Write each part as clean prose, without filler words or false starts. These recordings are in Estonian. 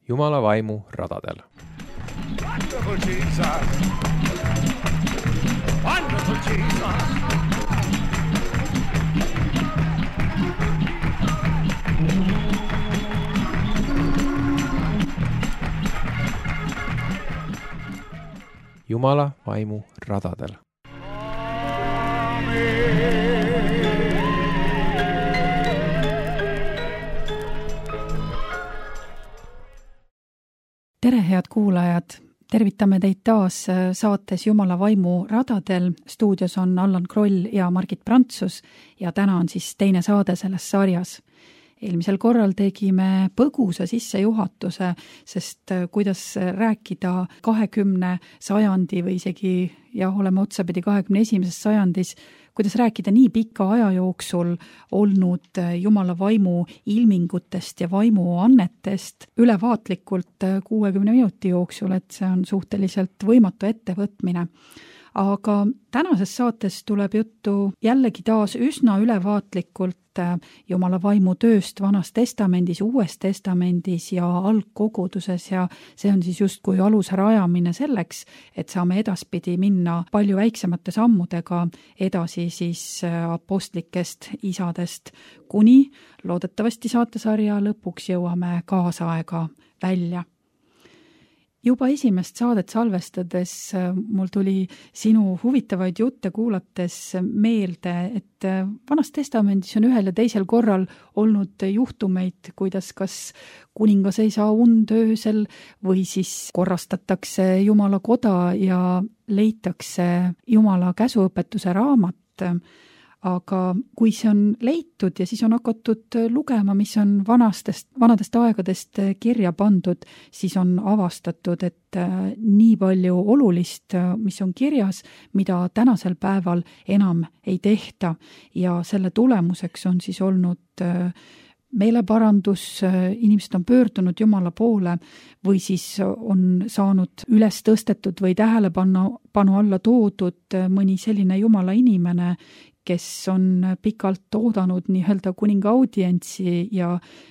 Jumala vaimu radadel. Wonderful Jesus! Wonderful Jesus! Jumala vaimu radadel. Tere, head kuulajad! Tervitame teid taas saates Jumala vaimu radadel. Stuudios on Allan Kroll ja Margit Prantsus ja täna on siis teine saade selles sarjas. Eelmisel korral tegime põgusa sissejuhatuse, sest kuidas rääkida 20. sajandi või isegi, oleme otsapidi 21. sajandis, kuidas rääkida nii pika aja jooksul olnud Jumala vaimu ilmingutest ja vaimu annetest ülevaatlikult 60 minuti jooksul, et see on suhteliselt võimatu ettevõtmine. Aga tänases saates tuleb juttu jällegi taas üsna ülevaatlikult Jumala vaimu tööst Vanas Testamendis, Uues Testamendis ja algkoguduses ja see on siis justkui aluse rajamine selleks, et saame edaspidi minna palju väiksemate sammudega edasi siis apostlikest isadest, kuni loodetavasti saatesarja lõpuks jõuame kaasaega välja. Juba esimest saadet salvestades mul tuli sinu huvitavaid jutte kuulates meelde, et Vanas Testamendis on ühel ja teisel korral olnud juhtumeid, kuidas kas kuningas ei saa und öösel või siis korrastatakse Jumala koda ja leitakse Jumala käsuõpetuse raamat. Aga kui see on leitud ja siis on hakatud lugema, mis on vanadest aegadest kirja pandud, siis on avastatud, et nii palju olulist, mis on kirjas, mida tänasel päeval enam ei tehta. Ja selle tulemuseks on siis olnud meeleparandus, inimesed on pöördunud Jumala poole või siis on saanud üles tõstetud või tähelepanu alla toodud mõni selline Jumala inimene, kes on pikalt oodanud nii-öelda kuninga audientsi ja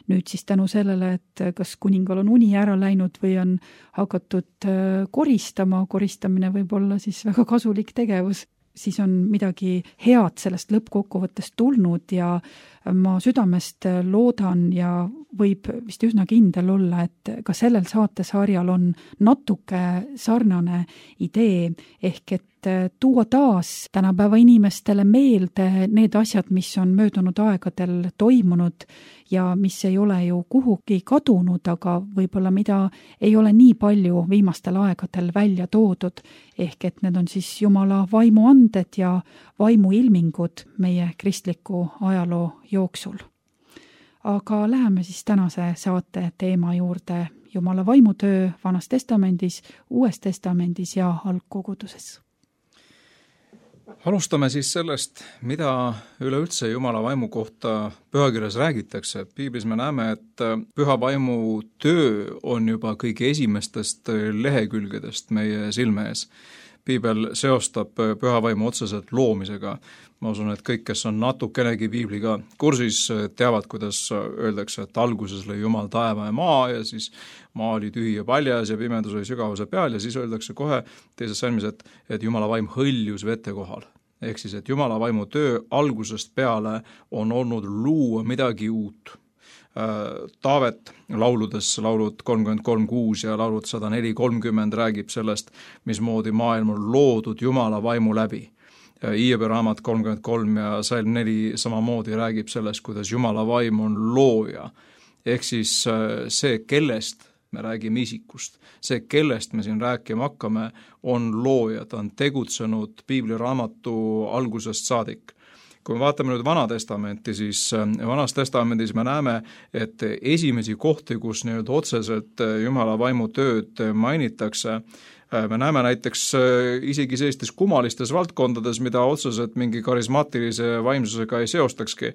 nüüd siis tänu sellele, et kas kuningal on uni ära läinud või on hakatud koristama, koristamine võib olla siis väga kasulik tegevus, siis on midagi head sellest lõppkokkuvõttest tulnud ja ma südamest loodan ja võib vist üsna kindel olla, et ka sellel saatesarjal on natuke sarnane idee, ehk et tuua taas tänapäeva inimestele meelde need asjad, mis on möödunud aegadel toimunud ja mis ei ole ju kuhugi kadunud, aga võib-olla mida ei ole nii palju viimastel aegadel välja toodud, ehk et need on siis Jumala vaimu anded ja vaimu ilmingud meie kristliku ajaloo jooksul. Aga läheme siis tänase saate teema juurde Jumala vaimutöö Vanas Testamendis, Uues Testamendis ja algkoguduses. Alustame siis sellest, mida üleüldse Jumala vaimu kohta pühakirjas räägitakse. Piiblis me näeme, et püha vaimu töö on juba kõige esimestest lehekülgedest meie silme ees. Piibel seostab püha vaimu otseselt loomisega. Ma usun, et kõik, kes on natukenegi piibliga kursis, teavad, kuidas öeldakse, et alguses lõi Jumal taeva ja maa ja siis maa oli tühi ja paljas ja pimedus oli sügavuse peal ja siis öeldakse kohe teises salmis, et Jumala vaim hõljus vete kohal. Ehk siis, et Jumala vaimu töö algusest peale on olnud luua midagi uut. Taavet lauludes, laulud 33:6 ja laulud 104:30 räägib sellest, mismoodi maailm on loodud Jumala vaimu läbi. Hiobi raamat 33 ja Salm 4 samamoodi räägib sellest, kuidas Jumala vaim on looja. Ehk siis see, kellest me räägime isikust, see, kellest me siin rääkima hakkame, on looja, ta on tegutsenud piibliraamatu algusest saadik. Kui me vaatame nüüd Vana Testamenti, siis Vanas Testamendis me näeme, et esimesi kohti, kus nii-öelda otseselt Jumala vaimu tööd mainitakse, me näeme näiteks isegi sellistes kummalistes valdkondades, mida otseselt mingi karismaatilise vaimsusega ei seostakski.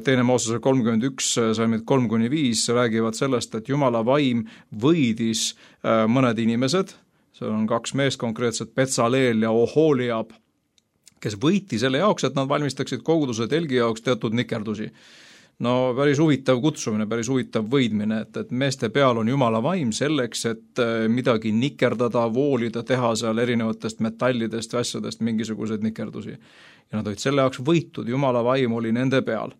Teine Moosese 31, salmid 3-5 räägivad sellest, et Jumala vaim võidis mõned inimesed, seal on 2 meest konkreetselt, Betsaleel ja Oholiab, kes võiti selle jaoks, et nad valmistaksid koguduse telgi jaoks teatud nikerdusi. No päris huvitav kutsumine, päris huvitav võidmine, et meeste peal on Jumala vaim selleks, et midagi nikerdada, voolida, teha seal erinevatest metallidest ja asjadest mingisuguseid nikerdusi. Ja nad olid selle jaoks võitud, Jumala vaim oli nende peal.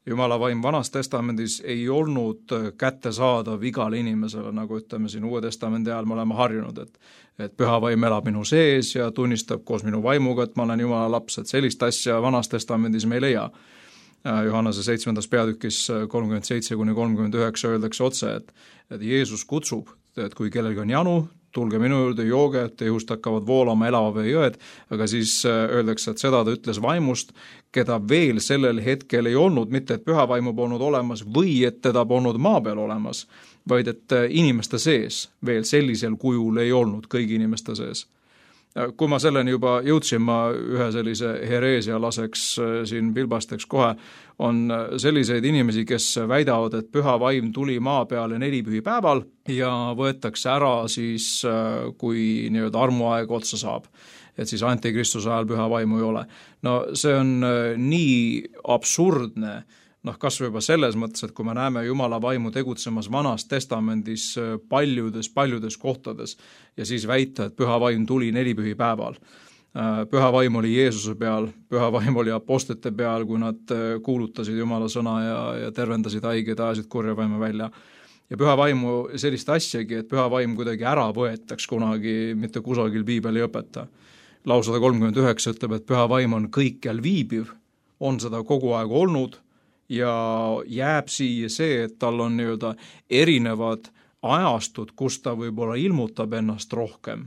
Jumala vaim Vanas Testamendis ei olnud kättesaadav igale inimesele, nagu ütleme siin Uue Testamendi ajal me oleme harjunud, et püha vaim elab minu sees ja tunnistab koos minu vaimuga, et ma olen Jumala laps, et sellist asja Vanas Testamendis me ei leia. Johannese 7. peatükis 37-39 öeldakse otse, et Jeesus kutsub, et kui kellelgi on janu, tulge minu juurde, jooge, et ihust hakkavad voolama elava vee jõed, aga siis öeldakse, et seda ta ütles vaimust, keda veel sellel hetkel ei olnud, mitte et püha vaimu polnud olemas või et teda polnud maa peal olemas, vaid et inimeste sees veel sellisel kujul ei olnud kõigi inimeste sees. Kui ma selleni juba jõudsin, ma ühe sellise hereesia laseks siin pilbasteks kohe, on selliseid inimesi, kes väidavad, et püha vaim tuli maa peale 4 pühipäeval ja võetakse ära siis, kui nii-öelda armuaeg otsa saab. Et siis antikristuse ajal püha vaimu ei ole. No see on nii absurdne, kas või juba selles mõttes, et kui me näeme Jumala vaimu tegutsemas Vanas Testamendis paljudes kohtades ja siis väita, et püha vaim tuli 4 pühipäeval. Püha vaim oli Jeesuse peal, püha vaim oli apostlite peal, kui nad kuulutasid Jumala sõna ja tervendasid haiged, ajasid kurja vaime välja. Ja püha vaimu sellist asjagi, et püha vaim kuidagi ära võetaks kunagi, mitte kusagil piibel ei õpeta. Laul 139 ütleb, et püha vaim on kõikjal viibiv, on seda kogu aeg olnud, ja jääb siia see, et tal on nii-öelda erinevad ajastud, kus ta võib-olla ilmutab ennast rohkem.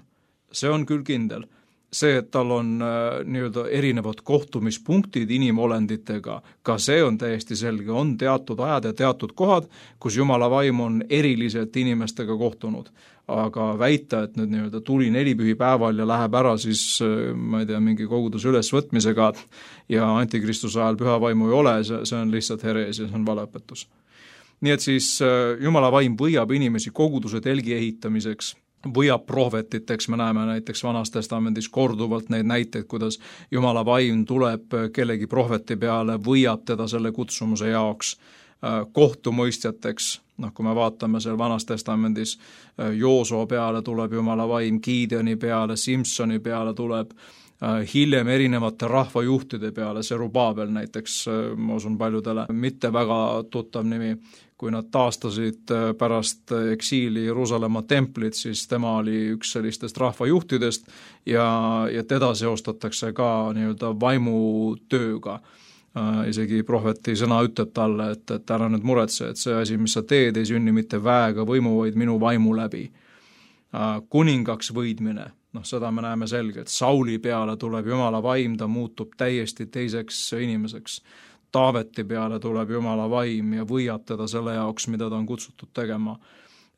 See on küll kindel. See, et tal on nii-öelda erinevad kohtumispunktid inimolenditega, ka see on täiesti selge, on teatud ajad ja teatud kohad, kus Jumala vaim on eriliselt inimestega kohtunud. Aga väita, et nüüd nii-öelda tuli 4 pühipäeval ja läheb ära siis, ma ei tea, mingi koguduse ülesvõtmisega ja antikristuse ajal püha vaimu ei ole, see on lihtsalt herees ja see on valeõpetus. Nii et siis Jumala vaim võiab inimesi koguduse telgi ehitamiseks, võiab prohvetiteks, me näeme näiteks Vanas Testamendis korduvalt neid näiteid, kuidas Jumala vaim tuleb kellegi prohveti peale, võiab teda selle kutsumuse jaoks, kohtumõistjateks, kui me vaatame seal Vanas Testamendis, Joosua peale tuleb Jumala vaim, Gideoni peale, Simsoni peale tuleb, hiljem erinevate rahvajuhtide peale, Serubabel näiteks, ma usun paljudele, mitte väga tuttav nimi, kui nad taastasid pärast eksiili Jeruusalemma templit, siis tema oli üks sellistest rahvajuhtidest ja teda seostatakse ka nii-öelda vaimutööga. Isegi prohveti sõna ütleb talle, et ära nüüd muretse, et see asi, mis sa teed, ei sünni mitte väega võimu, vaid minu vaimu läbi. Kuningaks võidmine, seda me näeme selgelt, Sauli peale tuleb Jumala vaim, ta muutub täiesti teiseks inimeseks. Taaveti peale tuleb Jumala vaim ja võiab teda selle jaoks, mida ta on kutsutud tegema.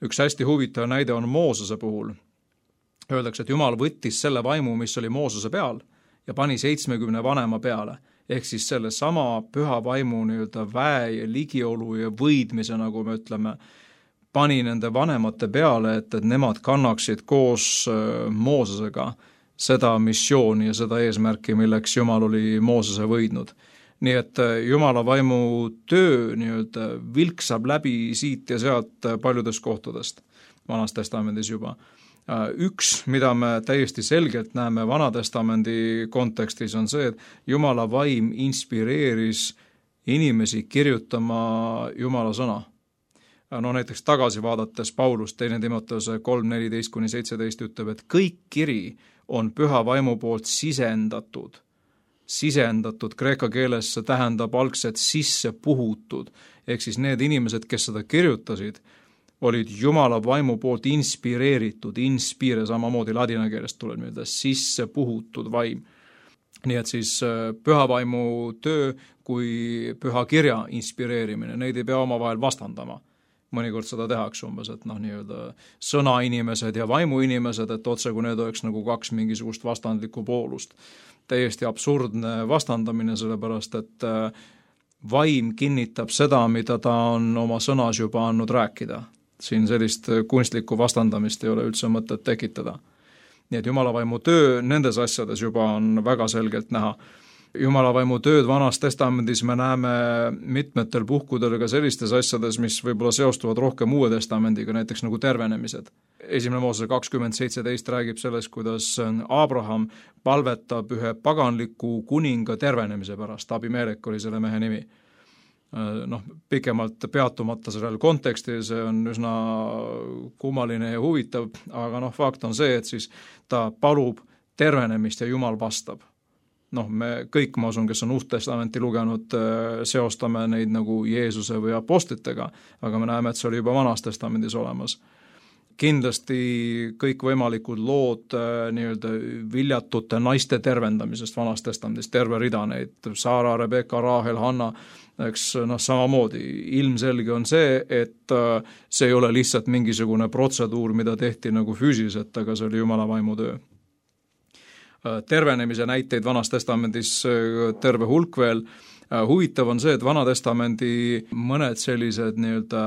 Üks hästi huvitav näide on Moosese puhul. Öeldakse, et Jumal võttis selle vaimu, mis oli Moosese peal ja pani 70 vanema peale. Ehk siis selle sama püha vaimu nii-öelda väe ja ligiolu ja võidmise, nagu me ütleme, pani nende vanemate peale, et nemad kannaksid koos Moosesega seda missiooni ja seda eesmärki, milleks Jumal oli Moosese võidnud. Nii et Jumala vaimu töö nii-öelda vilksab läbi siit ja sealt paljudest kohtadest Vanas Testamendis juba. Üks, mida me täiesti selgelt näeme Vana Testamendi kontekstis, on see, et Jumala vaim inspireeris inimesi kirjutama Jumala sõna. Näiteks tagasi vaadates Paulus 2. Timoteuse 3:14-17 ütleb, et kõik kiri on püha vaimu poolt sisendatud. Sisendatud kreeka keeles see tähendab algselt sisse puhutud, ehk siis need inimesed, kes seda kirjutasid, olid Jumala vaimu poolt inspireeritud, inspire samamoodi ladina keelest tuleb nii-öelda sisse puhutud vaim. Nii et siis püha vaimu töö kui püha kirja inspireerimine, neid ei pea omavahel vastandama. Mõnikord seda tehakse umbes, et nii-öelda sõnainimesed ja vaimuinimesed, et otse kui need oleks nagu 2 mingisugust vastandlikku poolust. Täiesti absurdne vastandamine, sellepärast et vaim kinnitab seda, mida ta on oma sõnas juba andnud rääkida. Siin sellist kunstlikku vastandamist ei ole üldse mõtet tekitada. Nii et Jumala vaimu töö nendes asjades juba on väga selgelt näha. Jumala vaimu tööd Vanas Testamendis me näeme mitmetel puhkudel ka sellistes asjades, mis võib-olla seostuvad rohkem Uue Testamendiga, näiteks nagu tervenemised. 1. Moosese 20:17 räägib sellest, kuidas Abraham palvetab ühe paganliku kuninga tervenemise pärast, Abimelek oli selle mehe nimi. Pikemalt peatumata sellel kontekstil, see on üsna kummaline ja huvitav, aga fakt on see, et siis ta palub tervenemist ja Jumal vastab. Me kõik, ma usun, kes on Uut Testamenti lugenud, seostame neid nagu Jeesuse või apostlitega, aga me näeme, et see oli juba Vanas Testamendis olemas. Kindlasti kõikvõimalikud lood nii-öelda viljatute naiste tervendamisest Vanas Testamendis, terve rida neid, Saara, Rebeka, Raahel, Hanna, eks samamoodi. Ilmselge on see, et see ei ole lihtsalt mingisugune protseduur, mida tehti nagu füüsiliselt, aga see oli Jumala vaimu töö. Tervenemise näiteid Vanas Testamendis terve hulk veel. Huvitav on see, et Vana Testamendi mõned sellised nii-öelda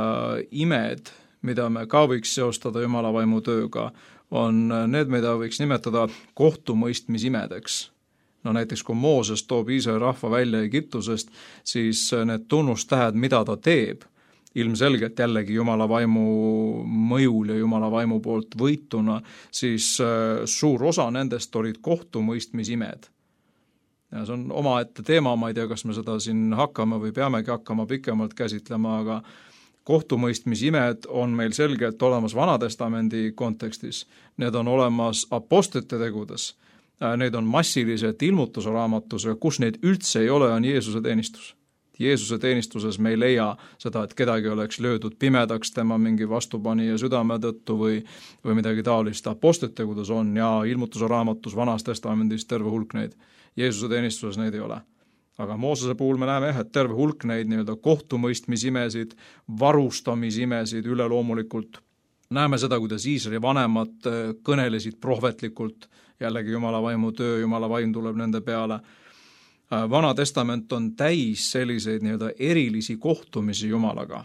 imed, mida me ka võiks seostada Jumala vaimu tööga, on need, mida võiks nimetada kohtumõistmisimedeks. Näiteks kui Mooses toob Iisraeli rahva välja Egiptusest, siis need tunnustähed, mida ta teeb, ilmselgelt jällegi Jumala vaimu mõjul ja Jumala vaimu poolt võituna, siis suur osa nendest olid kohtumõistmisimed. Ja see on omaette teema, ma ei tea, kas me seda siin hakkame või peamegi hakkama pikemalt käsitlema, aga kohtumõistmisimed on meil selgelt olemas Vana Testamendi kontekstis, need on olemas apostlite tegudes, need on massiliselt ilmutuse raamatus, kus neid üldse ei ole, on Jeesuse teenistus. Jeesuse teenistuses me ei leia seda, et kedagi oleks löödud pimedaks tema mingi vastupanija südame tõttu või midagi taolist. Apostlite tegudes on ja ilmutuse raamatus Vanas Testamendis terve hulk neid. Jeesuse teenistuses neid ei ole. Aga Moosese puhul me näeme, et terve hulk neid nii-öelda kohtumõistmisimesid, varustamisimesid üleloomulikult. Näeme seda, kuidas Iisraeli vanemad kõnelesid prohvetlikult, jällegi Jumala vaimu töö, Jumala vaim tuleb nende peale. Vana Testament on täis selliseid nii-öelda erilisi kohtumisi Jumalaga.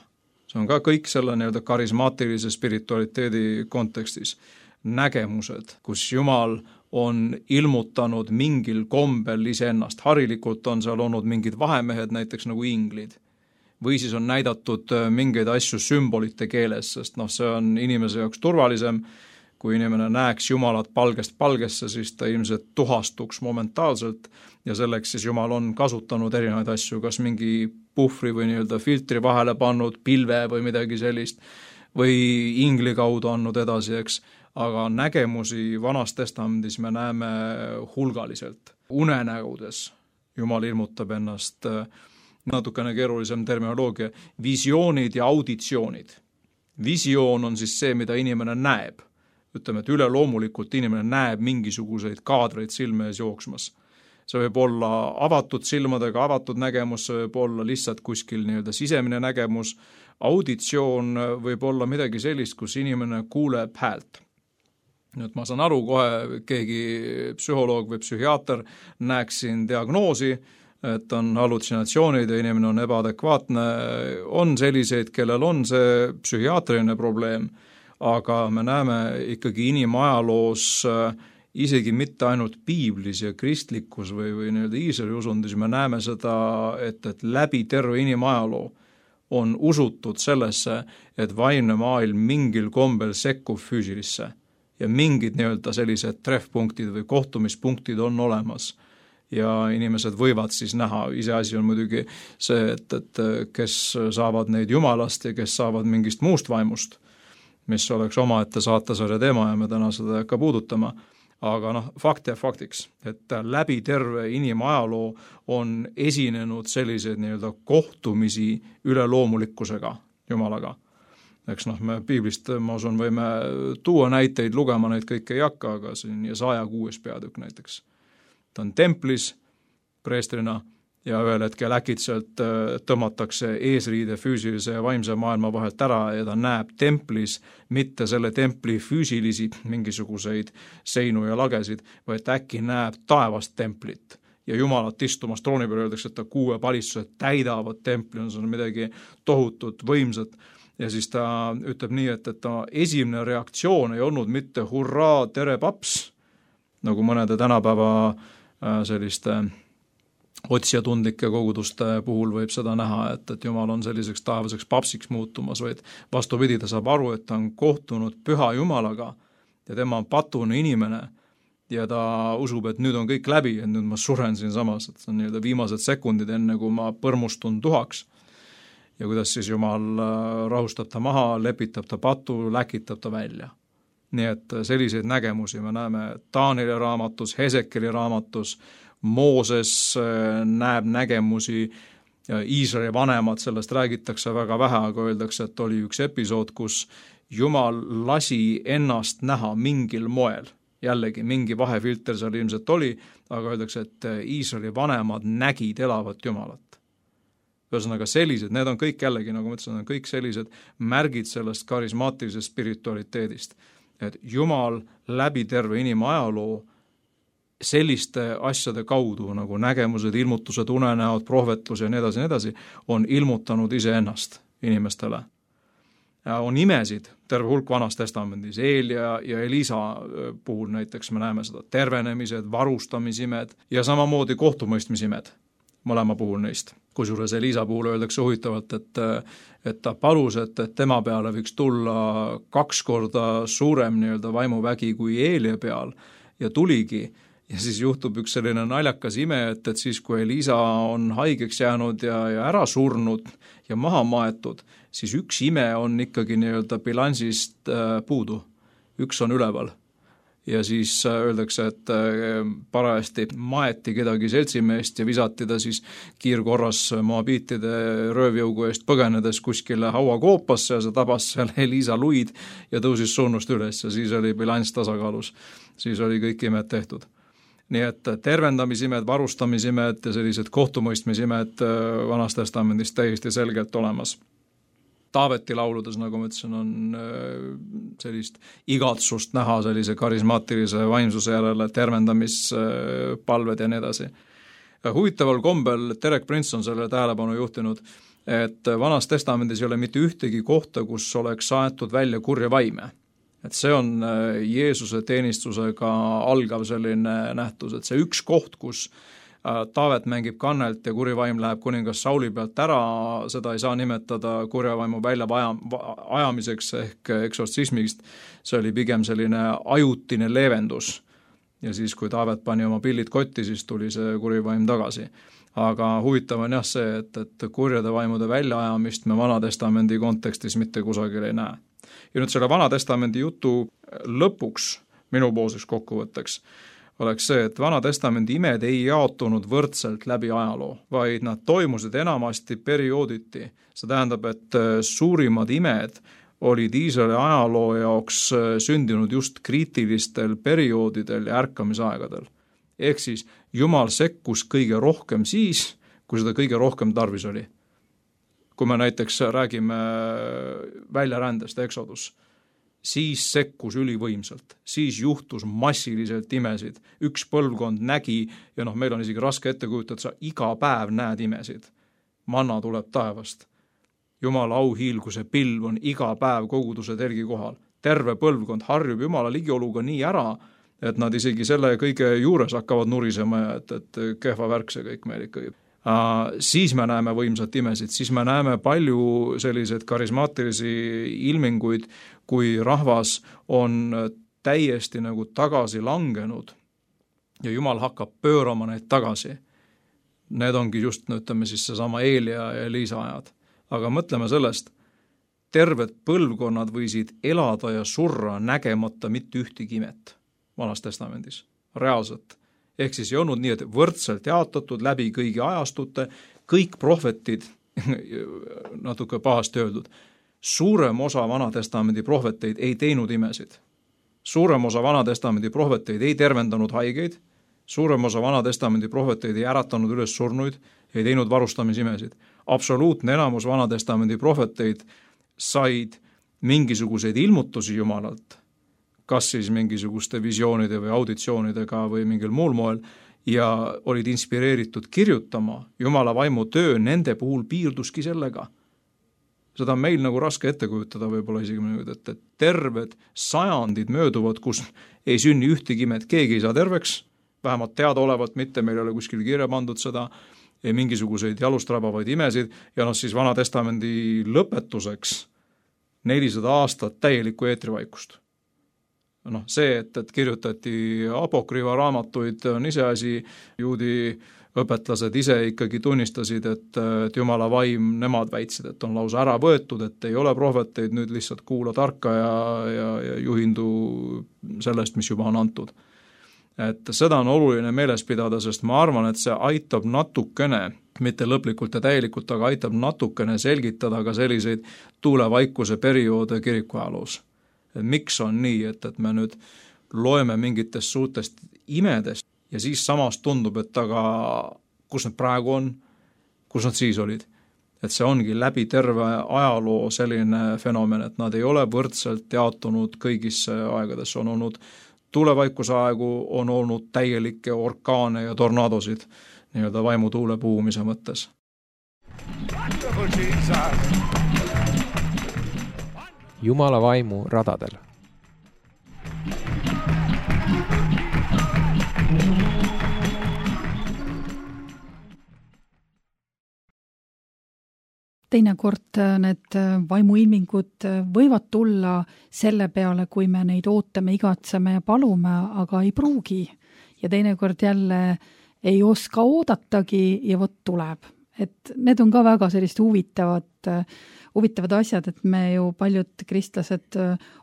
See on ka kõik selle nii-öelda karismaatilise spiritualiteedi kontekstis. Nägemused, kus Jumal on ilmutanud mingil kombel iseennast. Harilikult on seal olnud mingid vahemehed, näiteks nagu inglid. Või siis on näidatud mingeid asju sümbolite keeles, sest see on inimese jaoks turvalisem. Kui inimene näeks Jumalat palgest palgesse, siis ta ilmselt tuhastuks momentaalselt ja selleks siis Jumal on kasutanud erinevaid asju, kas mingi puhvri või nii-öelda filtri vahele pannud, pilve või midagi sellist, või ingli kaudu andnud edasi, eks. Aga nägemusi Vanas Testamendis me näeme hulgaliselt. Unenägudes Jumal ilmutab ennast, natukene keerulisem terminoloogia, visioonid ja auditsioonid. Visioon on siis see, mida inimene näeb. Ütleme, et üleloomulikult inimene näeb mingisuguseid kaadreid silme ees jooksmas. See võib olla avatud silmadega, avatud nägemus, see võib olla lihtsalt kuskil nii-öelda sisemine nägemus. Auditsioon võib olla midagi sellist, kus inimene kuuleb häält. Nüüd ma saan aru, kohe keegi psühholoog või psühhiaater näeks siin diagnoosi, et on hallutsinatsioonid ja inimene on ebaadekvaatne. On selliseid, kellel on see psühhiaatriline probleem, aga me näeme ikkagi inimajaloos isegi mitte ainult piiblis ja kristlikus või nii-öelda Iisraeli usundis, me näeme seda, et läbi terve inimajaloo on usutud sellesse, et vaimne maailm mingil kombel sekkub füüsilisse ja mingid nii-öelda sellised treffpunktid või kohtumispunktid on olemas ja inimesed võivad siis näha. Iseasi on muidugi see, et kes saavad neid Jumalast ja kes saavad mingist muust vaimust, mis oleks omaette saatesarja teema ja me täna seda ei hakka puudutama. Aga fakt ja faktiks, et läbi terve inimajaloo on esinenud selliseid nii-öelda kohtumisi üleloomulikkusega Jumalaga. Eks me piiblist, ma usun, võime tuua näiteid, lugema neid kõike ei hakka, aga siin Jesaja 6. peatükk näiteks. Ta on templis preestrina ja ühel hetkel äkitselt tõmmatakse eesriide füüsilise ja vaimse maailma vahelt ära ja ta näeb templis mitte selle templi füüsilisi mingisuguseid seinu ja lagesid, vaid äkki näeb taevast templit ja Jumalat istumas trooni peal, öeldakse, et ta 6 palistused täidavad templi, on see midagi tohutut võimsat. Ja siis ta ütleb nii, et ta esimene reaktsioon ei olnud mitte hurraa, tere paps, nagu mõnede tänapäeva selliste otsijatundlike koguduste puhul võib seda näha, et Jumal on selliseks taevaseks papsiks muutumas, vaid vastupidi, ta saab aru, et ta on kohtunud püha Jumalaga ja tema on patune inimene ja ta usub, et nüüd on kõik läbi, et nüüd ma suren siin samas, et see on nii-öelda viimased sekundid, enne kui ma põrmustun tuhaks. Ja kuidas siis Jumal rahustab ta maha, lepitab ta patu, läkitab ta välja. Nii et selliseid nägemusi me näeme Taanieli raamatus, Hesekeli raamatus, Mooses näeb nägemusi, Iisraeli vanemad, sellest räägitakse väga vähe, aga öeldakse, et oli üks episood, kus Jumal lasi ennast näha mingil moel. Jällegi mingi vahefilter seal ilmselt oli, aga öeldakse, et Iisraeli vanemad nägid elavat Jumalat. Ühesõnaga sellised, need on kõik jällegi, nagu ma ütlesin, on kõik sellised märgid sellest karismaatilisest spiritualiteedist, et Jumal läbi terve inimajaloo selliste asjade kaudu, nagu nägemused, ilmutused, unenäod, prohvetlus ja nii edasi, on ilmutanud iseennast inimestele. Ja on imesid, terve hulk Vanas Testamendis, Eelia ja Elisa puhul näiteks me näeme seda, tervenemised, varustamisimed ja samamoodi kohtumõistmisimed, mõlema puhul neist. Kusjuures Elisa puhul öeldakse huvitavalt, et ta palus, et tema peale võiks tulla 2 korda suurem nii-öelda vaimuvägi kui Eelia peal ja tuligi. Ja siis juhtub üks selline naljakas ime, et siis kui Elisa on haigeks jäänud ja ära surnud ja maha maetud, siis üks ime on ikkagi nii-öelda bilansist puudu. Üks on üleval. Ja siis öeldakse, et parajasti maeti kedagi seltsimeest ja visati ta siis kiirkorras moabiitide röövjõugu eest põgenedes kuskile hauakoopasse ja see tabas seal Elisa luid ja tõusis surnust üles ja siis oli bilanss tasakaalus. Siis oli kõik imed tehtud. Nii et tervendamisimed, varustamisimed ja sellised kohtumõistmisimed Vanas Testamendis täiesti selgelt olemas. Taaveti lauludes, nagu ma ütlesin, on sellist igatsust näha sellise karismaatilise vaimsuse järele, tervendamispalved ja nii edasi. Huvitaval kombel Derek Prince on selle tähelepanu juhtinud, et Vanas Testamendis ei ole mitte ühtegi kohta, kus oleks saetud välja kurja vaime. Et see on Jeesuse teenistusega algav selline nähtus, et see üks koht, kus Taavet mängib kannelt ja kuri vaim läheb kuningas Sauli pealt ära, seda ei saa nimetada kurja vaimu välja ajamiseks ehk eksortsismist, see oli pigem selline ajutine leevendus. Ja siis, kui Taavet pani oma pillid kotti, siis tuli see kuri vaim tagasi. Aga huvitav on jah see, et kurjade vaimude väljaajamist me Vana Testamendi kontekstis mitte kusagil ei näe. Ja nüüd selle Vana Testamendi jutu lõpuks, minupoolseks kokkuvõtteks, oleks see, et Vana Testamendi imed ei jaotunud võrdselt läbi ajaloo, vaid nad toimusid enamasti periooditi. See tähendab, et suurimad imed olid Iisraeli ajaloo jaoks sündinud just kriitilistel perioodidel ja ärkamisaegadel. Ehk siis Jumal sekkus kõige rohkem siis, kui seda kõige rohkem tarvis oli. Kui me näiteks räägime väljarändest, Exodus, siis sekkus ülivõimsalt, siis juhtus massiliselt imesid. Üks põlvkond nägi, ja meil on isegi raske ette kujutada, sa iga päev näed imesid. Manna tuleb taevast. Jumala auhiilguse pilv on iga päev koguduse telgi kohal. Terve põlvkond harjub Jumala ligioluga nii ära, et nad isegi selle kõige juures hakkavad nurisema, et kehva värk see kõik meil ikkagi. Siis me näeme võimsat imesid, siis me näeme palju selliseid karismaatilisi ilminguid, kui rahvas on täiesti nagu tagasi langenud ja Jumal hakkab pöörama neid tagasi. Need ongi just, ütleme siis seesama Eelia ja Elisa ajad. Aga mõtleme sellest, terved põlvkonnad võisid elada ja surra nägemata mitte ühtegi imet Vanas Testamendis, reaalselt. Ehk siis ei olnud nii, et võrdselt jaotatud läbi kõigi ajastute, kõik prohvetid, natuke pahasti öeldud, suurem osa Vana Testamendi prohveteid ei teinud imesid. Suurem osa Vana Testamendi prohveteid ei tervendanud haigeid, suurem osa Vana Testamendi prohveteid ei äratanud üles surnuid, ei teinud varustamisimesid. Absoluutne enamus Vana Testamendi prohveteid said mingisuguseid ilmutusi Jumalalt, kas siis mingisuguste visioonide või auditsioonidega või mingil muul moel, ja olid inspireeritud kirjutama. Jumala vaimu töö nende puhul piirduski sellega. Seda on meil nagu raske ette kujutada võib-olla isegi, et terved sajandid mööduvad, kus ei sünni ühtegi imet, keegi ei saa terveks, vähemalt teadaolevalt mitte, meil ei ole kuskil kirja pandud seda, ei mingisuguseid jalust rabavaid imesid ja siis Vana Testamendi lõpetuseks 400 aastat täielikku eetrivaikust. See, et kirjutati apokrüüva raamatuid, on iseasi, juudi õpetlased ise ikkagi tunnistasid, et Jumala vaim, nemad väitsid, et on lausa ära võetud, et ei ole prohveteid, nüüd lihtsalt kuula tarka ja juhindu sellest, mis juba on antud. Et seda on oluline meeles pidada, sest ma arvan, et see aitab natukene, mitte lõplikult ja täielikult, aga aitab natukene selgitada ka selliseid tuulevaikuse perioode kirikuajaloos. Et miks on nii, et me nüüd loeme mingitest suurtest imedest ja siis samas tundub, et aga kus nad praegu on, kus nad siis olid. Et see ongi läbi terve ajaloo selline fenomen, et nad ei ole võrdselt jaotunud kõigisse aegadesse, on olnud tuulevaikuse aegu, on olnud täielikke orkaane ja tornadosid nii-öelda vaimutuule puhumise mõttes. Jumala vaimu radadel. Teinekord need vaimuilmingud võivad tulla selle peale, kui me neid ootame, igatseme ja palume, aga ei pruugi. Ja teinekord jälle ei oska oodatagi ja vot tuleb. Et need on ka väga sellist huvitavad asjad, et me ju paljud kristlased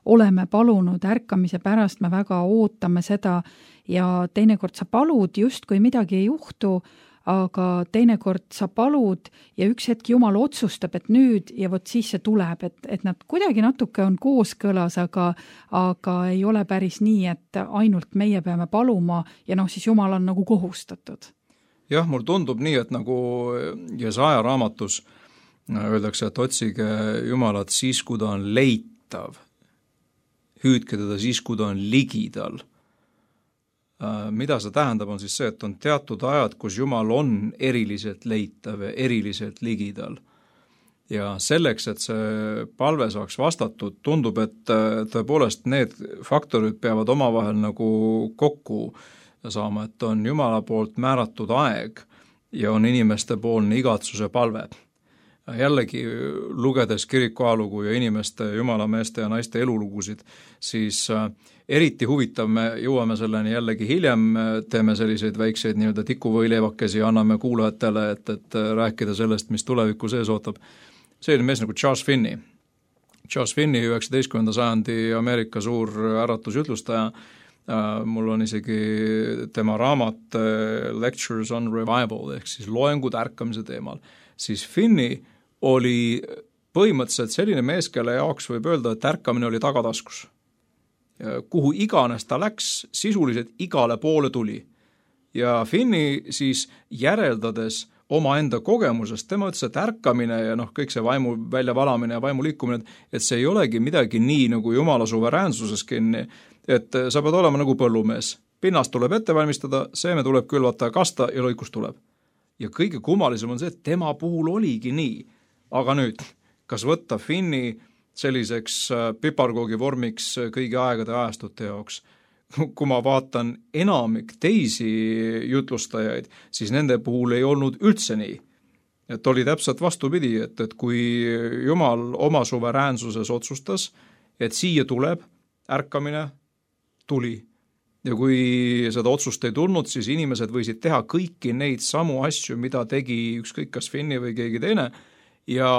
oleme palunud ärkamise pärast, me väga ootame seda ja teinekord sa palud justkui midagi ei juhtu, aga teinekord sa palud ja üks hetk Jumal otsustab, et nüüd ja vot siis see tuleb, et nad kuidagi natuke on kooskõlas, aga ei ole päris nii, et ainult meie peame paluma ja siis Jumal on nagu kohustatud. Jah, mul tundub nii, et nagu Jesaja raamatus öeldakse, et otsige Jumalat siis, kui ta on leitav. Hüüdke teda siis, kui ta on ligidal. Mida see tähendab, on siis see, et on teatud ajad, kus Jumal on eriliselt leitav ja eriliselt ligidal. Ja selleks, et see palve saaks vastatud, tundub, et tõepoolest need faktorid peavad omavahel nagu kokku saama, et on Jumala poolt määratud aeg ja on inimeste poolne igatsuse palve. Jällegi lugedes kiriku ajalugu ja inimeste, jumalameeste ja naiste elulugusid, siis eriti huvitav, me jõuame selleni jällegi hiljem, teeme selliseid väikseid nii-öelda tikuvõileivakesi ja anname kuulajatele, et rääkida sellest, mis tuleviku sees ootab. Selline mees nagu Charles Finney. Charles Finney, 19. sajandi Ameerika suur äratusjutlustaja, mul on isegi tema raamat Lectures on Revival, ehk siis loengud ärkamise teemal. Siis Finney oli põhimõtteliselt selline mees, kelle jaoks võib öelda, et ärkamine oli tagataskus. Kuhu iganes ta läks, sisuliselt igale poole tuli. Ja Finney siis järeldades omaenda kogemusest, tema ütles, et ärkamine ja kõik see vaimu väljavalamine ja vaimu liikumine, et see ei olegi midagi nii nagu Jumala suveräänsuses kinni, et sa pead olema nagu põllumees. Pinnast tuleb ette valmistada, seeme tuleb külvata ja kasta ja lõikus tuleb. Ja kõige kummalisem on see, et tema puhul oligi nii. Aga nüüd, kas võtta Finney selliseks piparkoogi vormiks kõigi aegade ajastute jaoks? Kui ma vaatan enamik teisi jutlustajaid, siis nende puhul ei olnud üldse nii. Et oli täpselt vastupidi, et kui Jumal oma suveräänsuses otsustas, et siia tuleb ärkamine, tuli. Ja kui seda otsust ei tulnud, siis inimesed võisid teha kõiki neid samu asju, mida tegi ükskõik kas Finney või keegi teine, ja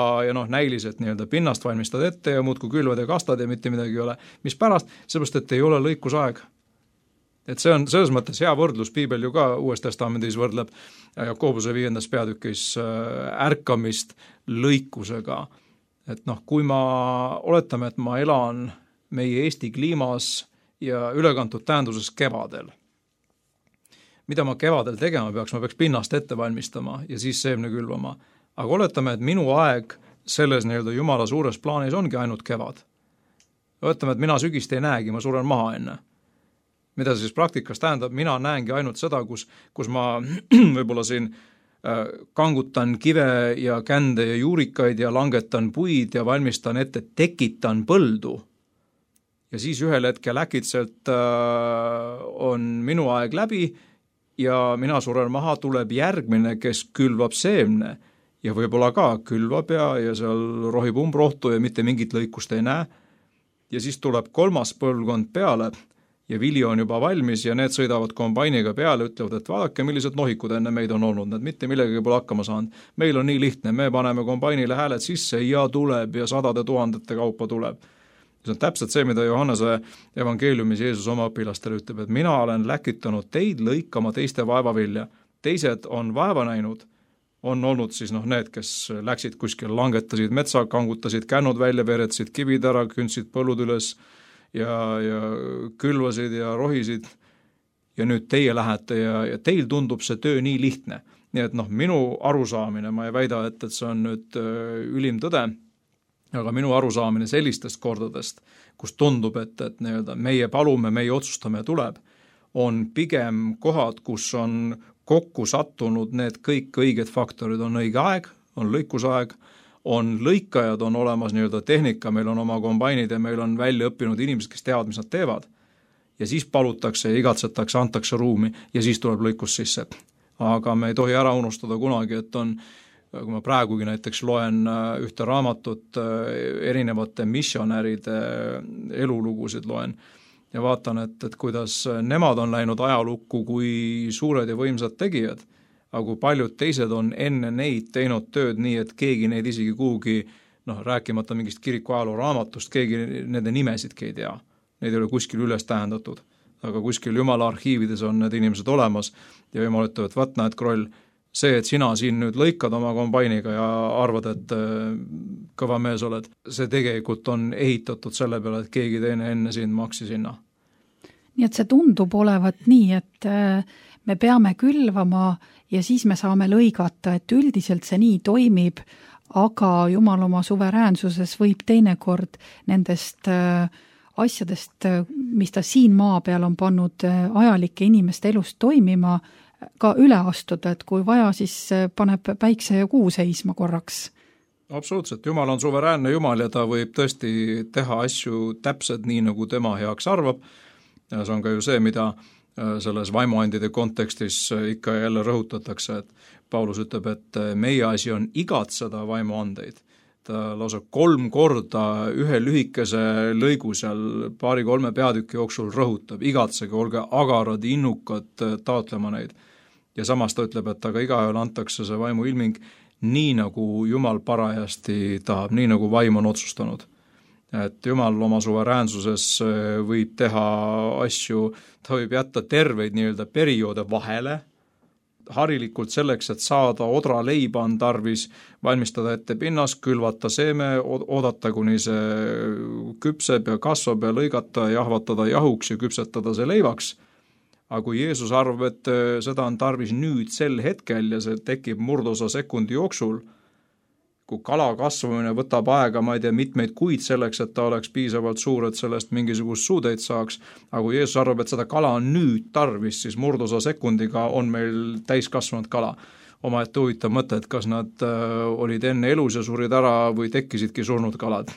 näiliselt nii-öelda pinnast valmistad ette ja muudkui külvad ja kastad ja mitte midagi ei ole. Mis pärast? Seepärast, et ei ole lõikusaeg. Et see on selles mõttes hea võrdlus, Piibel ju ka Uues Testamendis võrdleb Jakobuse 5. peatükis ärkamist lõikusega. Et kui ma oletame, et ma elan meie Eesti kliimas ja ülekantud tähenduses kevadel. Mida ma kevadel tegema peaks? Ma peaks pinnast ette valmistama ja siis seemne külvama. Aga oletame, et minu aeg selles nii-öelda Jumala suures plaanis ongi ainult kevad. Oletame, et mina sügist ei näegi, ma suren maha enne. Mida siis praktikas tähendab? Mina näengi ainult seda, kus ma võib-olla siin kangutan kive ja kände ja juurikaid ja langetan puid ja valmistan ette, tekitan põldu. Ja siis ühel hetkel äkitselt on minu aeg läbi ja mina suren maha, tuleb järgmine, kes külvab seemne ja võib-olla ka külvab ja seal rohib umbrohtu ja mitte mingit lõikust ei näe. Ja siis tuleb 3. põlvkond peale ja vili on juba valmis ja need sõidavad kombainiga peale, ütlevad, et vaadake, millised nohikud enne meid on olnud, need mitte millegagi pole hakkama saanud. Meil on nii lihtne, me paneme kombainile hääled sisse ja tuleb ja 100 000 kaupa tuleb. See on täpselt see, mida Johannese evangeeliumis Jeesus oma õpilastele ütleb, et mina olen läkitanud teid lõikama teiste vaevavilja. Teised on vaeva näinud, on olnud siis need, kes läksid kuskil, langetasid metsa, kangutasid kännud välja, veretasid kivid ära, kündsid põllud üles ja külvasid ja rohisid ja nüüd teie lähete ja teil tundub see töö nii lihtne. Nii et minu arusaamine, ma ei väida, et see on nüüd ülim tõde, aga minu arusaamine sellistest kordadest, kus tundub, et meie palume, meie otsustame tuleb, on pigem kohad, kus on kokku sattunud need kõik õiged faktorid, on õige aeg, on lõikusaeg, on lõikajad, on olemas tehnika, meil on oma kombainid ja meil on välja õppinud inimesed, kes teavad, mis nad teevad. Ja siis palutakse ja igatsetakse, antakse ruumi ja siis tuleb lõikus sisse. Aga me ei tohi ära unustada kunagi, et kui ma praegugi näiteks loen ühte raamatut erinevate missionäride elulugusid loen ja vaatan, et kuidas nemad on läinud ajalukku kui suured ja võimsad tegijad, aga kui paljud teised on enne neid teinud tööd nii, et keegi neid isegi kuhugi, rääkimata mingist kiriku ajaloo raamatust, keegi nende nimesidki ei tea. Neid ei ole kuskil üles tähendatud, aga kuskil Jumala arhiivides on need inimesed olemas ja Jumal ütleb, et vaat näed, Kroll, see, et sina siin nüüd lõikad oma kombainiga ja arvad, et kõva mees oled, see tegelikult on ehitatud selle peale, et keegi teine enne sind maksi sinna. Nii et see tundub olevat nii, et me peame külvama ja siis me saame lõigata, et üldiselt see nii toimib, aga Jumal oma suveräänsuses võib teinekord nendest asjadest, mis ta siin maa peal on pannud ajalike inimeste elust toimima, ka üle astuda, et kui vaja, siis paneb päikse ja kuu seisma korraks. Absoluutselt, Jumal on suveräänne Jumal ja ta võib tõesti teha asju täpselt nii, nagu tema heaks arvab. Ja see on ka ju see, mida selles vaimuandide kontekstis ikka jälle rõhutatakse, et Paulus ütleb, et meie asi on igatseda vaimuandeid. Ta lausa 3 korda ühe lühikese lõigu seal 2-3 peatüki jooksul rõhutab, igatsege, olge agarad, innukad taotlema neid. Ja samas ta ütleb, et aga igaühel antakse see vaimu ilming nii, nagu Jumal parajasti tahab, nii nagu vaim on otsustanud. Et Jumal oma suveräänsuses võib teha asju, ta võib jätta terveid perioode vahele, harilikult selleks, et saada odra leiba on tarvis, valmistada ette pinnas, külvata seeme, oodata, kuni see küpseb ja kasvab ja lõigata, jahvatada jahuks ja küpsetada see leivaks. Aga kui Jeesus arvab, et seda on tarvis nüüd sel hetkel ja see tekib murdosa sekundi jooksul, kui kala kasvamine võtab aega, ma ei tea, mitmeid kuid selleks, et ta oleks piisavalt suur, et sellest mingisugust suudeid saaks, aga kui Jeesus arvab, et seda kala on nüüd tarvis, siis murdosa sekundiga on meil täiskasvanud kala. Omaette huvitav mõte, et kas nad olid enne elus ja surid ära või tekkisidki surnud kalad.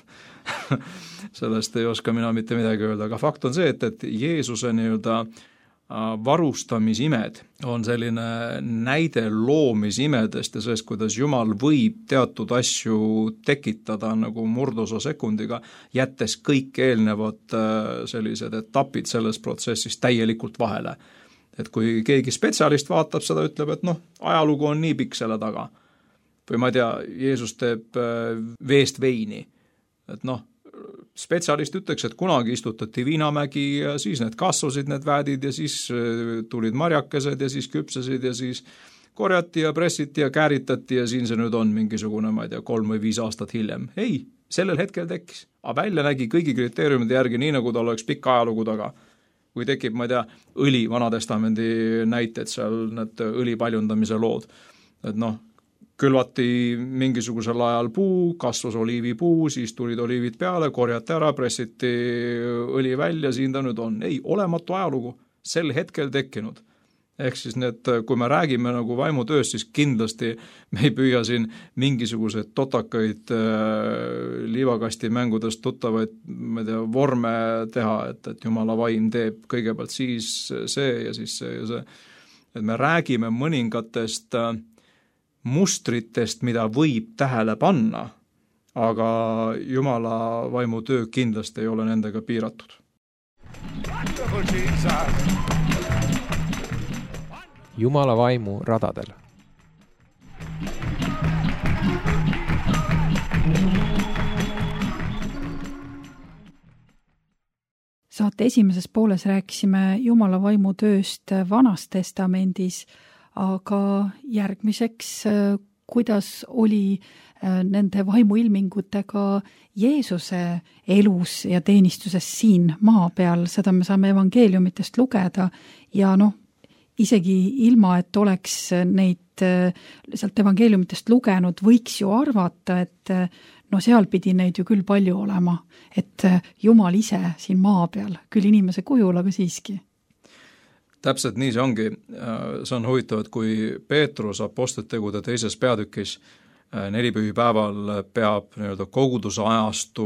Sellest ei oska mina mitte midagi öelda, aga fakt on see, et Jeesuse varustamisimed on selline näide loomisimedest ja sellest, kuidas Jumal võib teatud asju tekitada nagu murdosa sekundiga, jättes kõik eelnevad sellised etapid selles protsessis täielikult vahele. Et kui keegi spetsialist vaatab seda, ütleb, et ajalugu on nii pikk selle taga. Või ma ei tea, Jeesus teeb veest veini. Et spetsialist ütleks, et kunagi istutati viinamägi ja siis need kasvasid, need väädid ja siis tulid marjakesed ja siis küpsesid ja siis korjati ja pressiti ja kääritati ja siin see nüüd on mingisugune, ma ei tea, 3 või 5 aastat hiljem. Ei, sellel hetkel tekkis. Aga välja nägi kõigi kriteeriumide järgi nii, nagu tal oleks pikk ajalugu taga. Kui tekib, ma ei tea, õli Vanatestamendi näited seal, need õli paljundamise lood. Et külvati mingisugusel ajal puu, kasvas oliivipuu, siis tulid oliivid peale, korjati ära, pressiti õli välja, siin ta nüüd on. Ei, olematu ajalugu, sel hetkel tekkinud. Ehk siis kui me räägime nagu vaimutööst, siis kindlasti me ei püüa siin mingisuguseid totakaid liivakasti mängudest tuttavaid, ma ei tea, vorme teha, et Jumala vaim teeb kõigepealt siis see ja siis see ja see. et me räägime mõningatest mustritest, mida võib tähele panna, aga Jumala vaimu töö kindlasti ei ole nendega piiratud. Wonderful Jesus. Jumala vaimu radadel. Saate esimeses pooles rääkisime Jumala vaimu tööst Vanas Testamendis, aga järgmiseks, kuidas oli nende vaimuilmingutega Jeesuse elus ja teenistuses siin maa peal, seda me saame evangeeliumitest lugeda ja isegi ilma, et oleks neid sealt evangeeliumitest lugenud, võiks ju arvata, et seal pidi neid ju küll palju olema, et Jumal ise siin maa peal, küll inimese kujul, aga siiski. Täpselt nii see ongi. See on huvitav, et kui Peetrus apostlitegude 2. peatükis nelipühipäeval peab koguduse ajastu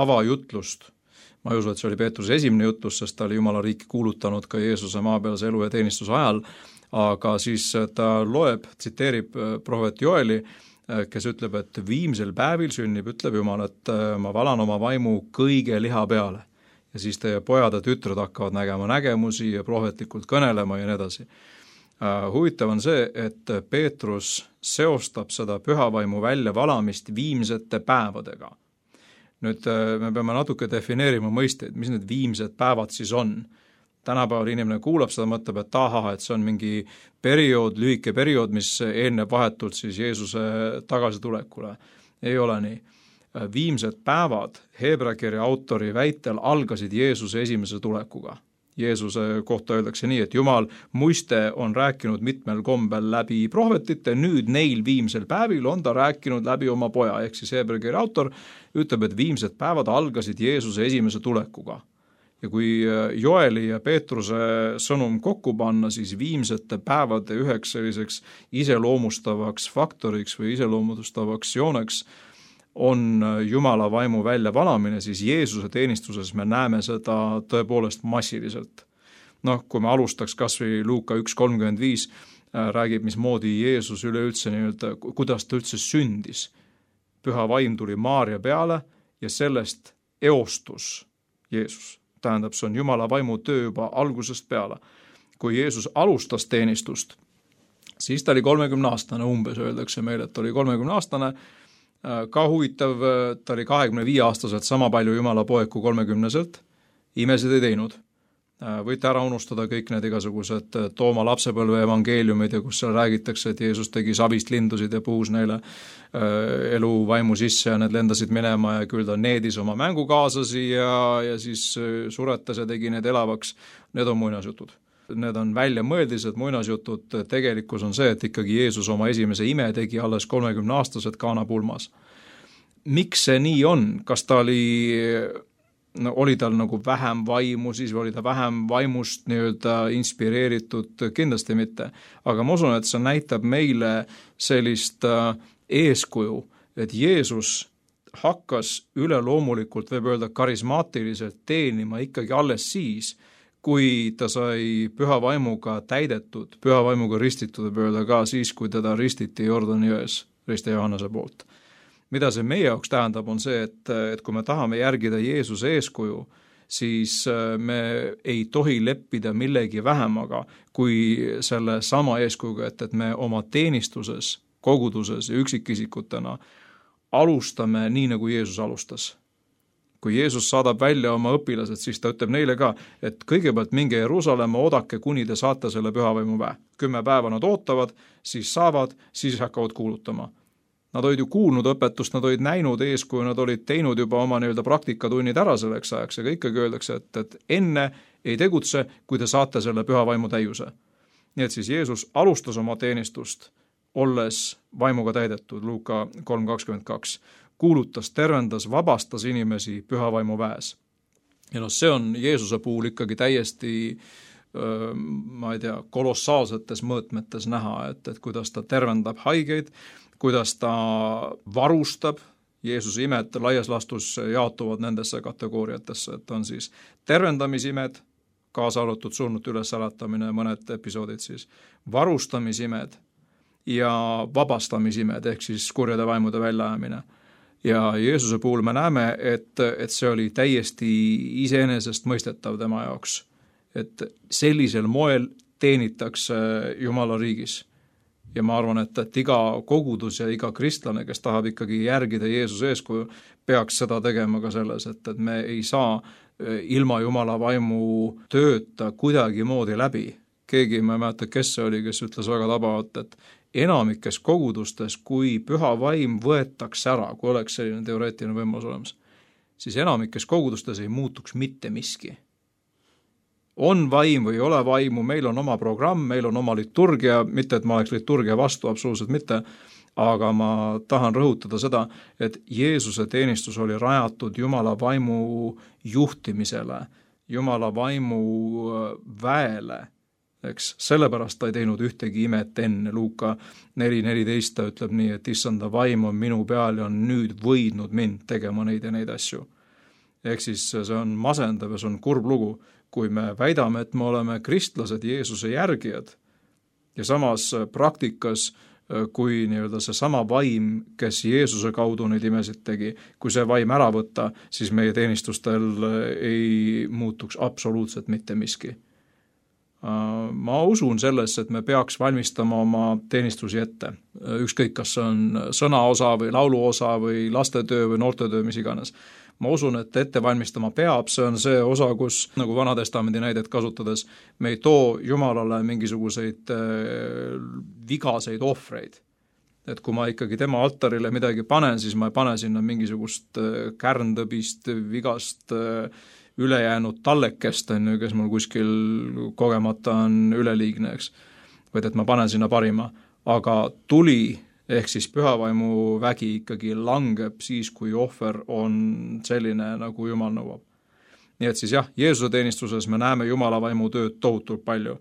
avajutlust. Ma ei usu, et see oli Peetruse esimene jutlus, sest ta oli Jumala riiki kuulutanud ka Jeesuse maapealse elu ja teenistuse ajal, aga siis ta loeb, tsiteerib prohvet Joeli, kes ütleb, et viimsel päevil sünnib, ütleb Jumal, et ma valan oma vaimu kõige liha peale. Ja siis teie pojad ja tütred hakkavad nägema nägemusi ja prohvetlikult kõnelema ja nii edasi. Huvitav on see, et Peetrus seostab seda pühavaimu väljavalamist viimsete päevadega. Nüüd me peame natuke defineerima mõisteid, mis need viimsed päevad siis on. Tänapäeval inimene kuulab seda, mõtleb, et et see on mingi periood, lühike periood, mis eelneb vahetult siis Jeesuse tagasitulekule. Ei ole nii. Viimsed päevad Heebrea kirja autori väitel algasid Jeesuse esimese tulekuga. Jeesuse kohta öeldakse nii, et Jumal muiste on rääkinud mitmel kombel läbi prohvetite, nüüd neil viimsel päevil on ta rääkinud läbi oma poja, ehk siis Heebrea kirja autor ütleb, et viimsed päevad algasid Jeesuse esimese tulekuga. Ja kui Joeli ja Peetruse sõnum kokku panna, siis viimsete päevade üheks selliseks iseloomustavaks faktoriks või iseloomustavaks jooneks on Jumala vaimu väljavalamine, siis Jeesuse teenistuses me näeme seda tõepoolest massiliselt. Kui me alustaks kas või Luuka 1.35, räägib, mismoodi Jeesus üleüldse kuidas ta üldse sündis. Püha vaim tuli Maaria peale ja sellest eostus Jeesus. Tähendab, see on Jumala vaimu töö juba algusest peale. Kui Jeesus alustas teenistust, siis ta oli 30-aastane, umbes öeldakse meile, et ta oli 30-aastane, ka huvitav, ta oli 25-aastaselt sama palju Jumala poeg kui 30-selt, imesid ei teinud. Võite ära unustada kõik need igasugused Tooma lapsepõlve evangeeliumid ja kus seal räägitakse, et Jeesus tegi savist lindusid ja puhus neile elu vaimu sisse ja need lendasid minema ja küll ta needis oma mängukaaslasi ja siis suretas ja tegi need elavaks. Need on muinasjutud. Need on väljamõeldised muinasjutud. Tegelikkus on see, et ikkagi Jeesus oma esimese ime tegi alles 30-aastased Kaana pulmas. Miks see nii on? Kas ta oli tal vähem vaimu, siis oli ta vähem vaimust inspireeritud, kindlasti mitte. Aga ma usun, et see näitab meile sellist eeskuju, et Jeesus hakkas üleloomulikult, võib öelda karismaatiliselt teenima ikkagi alles siis, kui ta sai püha vaimuga täidetud, püha vaimuga ristitud, võib öelda ka siis, kui teda ristiti Jordani jões Riste Johannese poolt. Mida see meie jaoks tähendab, on see, et kui me tahame järgida Jeesuse eeskuju, siis me ei tohi leppida millegi vähemaga kui selle sama eeskujuga, et me oma teenistuses, koguduses ja üksikisikutena alustame nii, nagu Jeesus alustas. Kui Jeesus saadab välja oma õpilased, siis ta ütleb neile ka, et kõigepealt minge Jeruusalemma, oodake, kuni te saate selle pühavaimu väe. 10 päeva nad ootavad, siis saavad, siis hakkavad kuulutama. Nad olid ju kuulnud õpetust, nad olid näinud eeskuju, nad olid teinud juba oma praktikatunnid ära selleks ajaks, aga ikkagi öeldakse, et enne ei tegutse, kui te saate selle püha vaimu täiuse. Nii et siis Jeesus alustas oma teenistust, olles vaimuga täidetud, Luuka 3.22. Kuulutas, tervendas, vabastas inimesi püha vaimu väes. Ja see on Jeesuse puhul ikkagi täiesti kolossaalsetes mõõtmetes näha, et kuidas ta tervendab haigeid, kuidas ta varustab. Jeesuse imed laias laastus jaotuvad nendesse kategooriatesse, et on siis tervendamisimed, kaasa arvatud surnute ülesäratamine, mõned episoodid siis, varustamisimed ja vabastamisimed ehk siis kurjade vaimude väljaajamine. Ja Jeesuse puhul me näeme, et see oli täiesti iseenesest mõistetav tema jaoks, et sellisel moel teenitakse Jumala riigis. Ja ma arvan, et iga kogudus ja iga kristlane, kes tahab ikkagi järgida Jeesuse eeskuju, peaks seda tegema ka selles, et me ei saa ilma Jumala vaimu tööta kuidagi moodi läbi. Keegi, ma ei mäleta, kes see oli, kes ütles väga tabavalt, et enamikes kogudustes, kui püha vaim võetakse ära, kui oleks selline teoreetiline võimalus olemas, siis enamikes kogudustes ei muutuks mitte miski. On vaim või ei ole vaimu, meil on oma programm, meil on oma liturgia, mitte et ma oleks liturgia vastu, absoluutselt mitte, aga ma tahan rõhutada seda, et Jeesuse teenistus oli rajatud Jumala vaimu juhtimisele, Jumala vaimu väele, eks, sellepärast ta ei teinud ühtegi imet enne. Luuka 4.14 ta ütleb nii, et issanda vaim on minu peal ja on nüüd võidnud mind tegema neid ja neid asju. Ehk siis see on masendav ja see on kurb lugu, kui me väidame, et me oleme kristlased, Jeesuse järgijad ja samas praktikas, kui nii-öelda see sama vaim, kes Jeesuse kaudu neid imesid tegi, kui see vaim ära võtta, siis meie teenistustel ei muutuks absoluutselt mitte miski. Ma usun sellesse, et me peaks valmistama oma teenistusi ette. Ükskõik, kas see on sõnaosa või lauluosa või lastetöö või noortetöö, mis iganes. Ma usun, et ette valmistama peab, see on see osa, kus, nagu Vanatestamendi näidet kasutades, me ei too Jumalale mingisuguseid vigaseid ohvreid. Et kui ma ikkagi tema altarile midagi panen, siis ma ei pane sinna mingisugust kärntõbist, vigast ülejäänud tallekest, kes mul kuskil kogemata on üleliigne, eks. Vaid et ma panen sinna parima. Aga tuli ehk siis pühavaimu vägi ikkagi langeb siis, kui ohver on selline, nagu Jumal nõuab. Nii et siis jah, Jeesuse teenistuses me näeme Jumala vaimu tööd tohutult palju.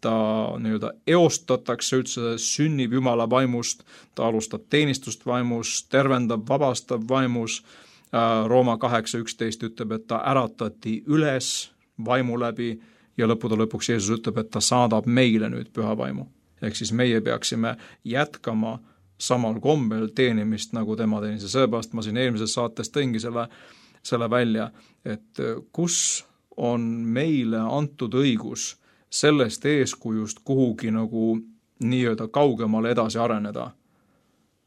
Ta nii-öelda eostatakse üldse, sünnib Jumala vaimust, ta alustab teenistust vaimust, tervendab, vabastab vaimus. Rooma 8.11 ütleb, et ta äratati üles vaimu läbi ja lõpuks Jeesus ütleb, et ta saadab meile nüüd püha vaimu. Ehk siis meie peaksime jätkama samal kombel teenimist, nagu tema teenis. Ja sellepärast ma siin eelmises saates tõingi selle välja, et kus on meile antud õigus sellest eeskujust kuhugi nagu nii-öelda kaugemale edasi areneda.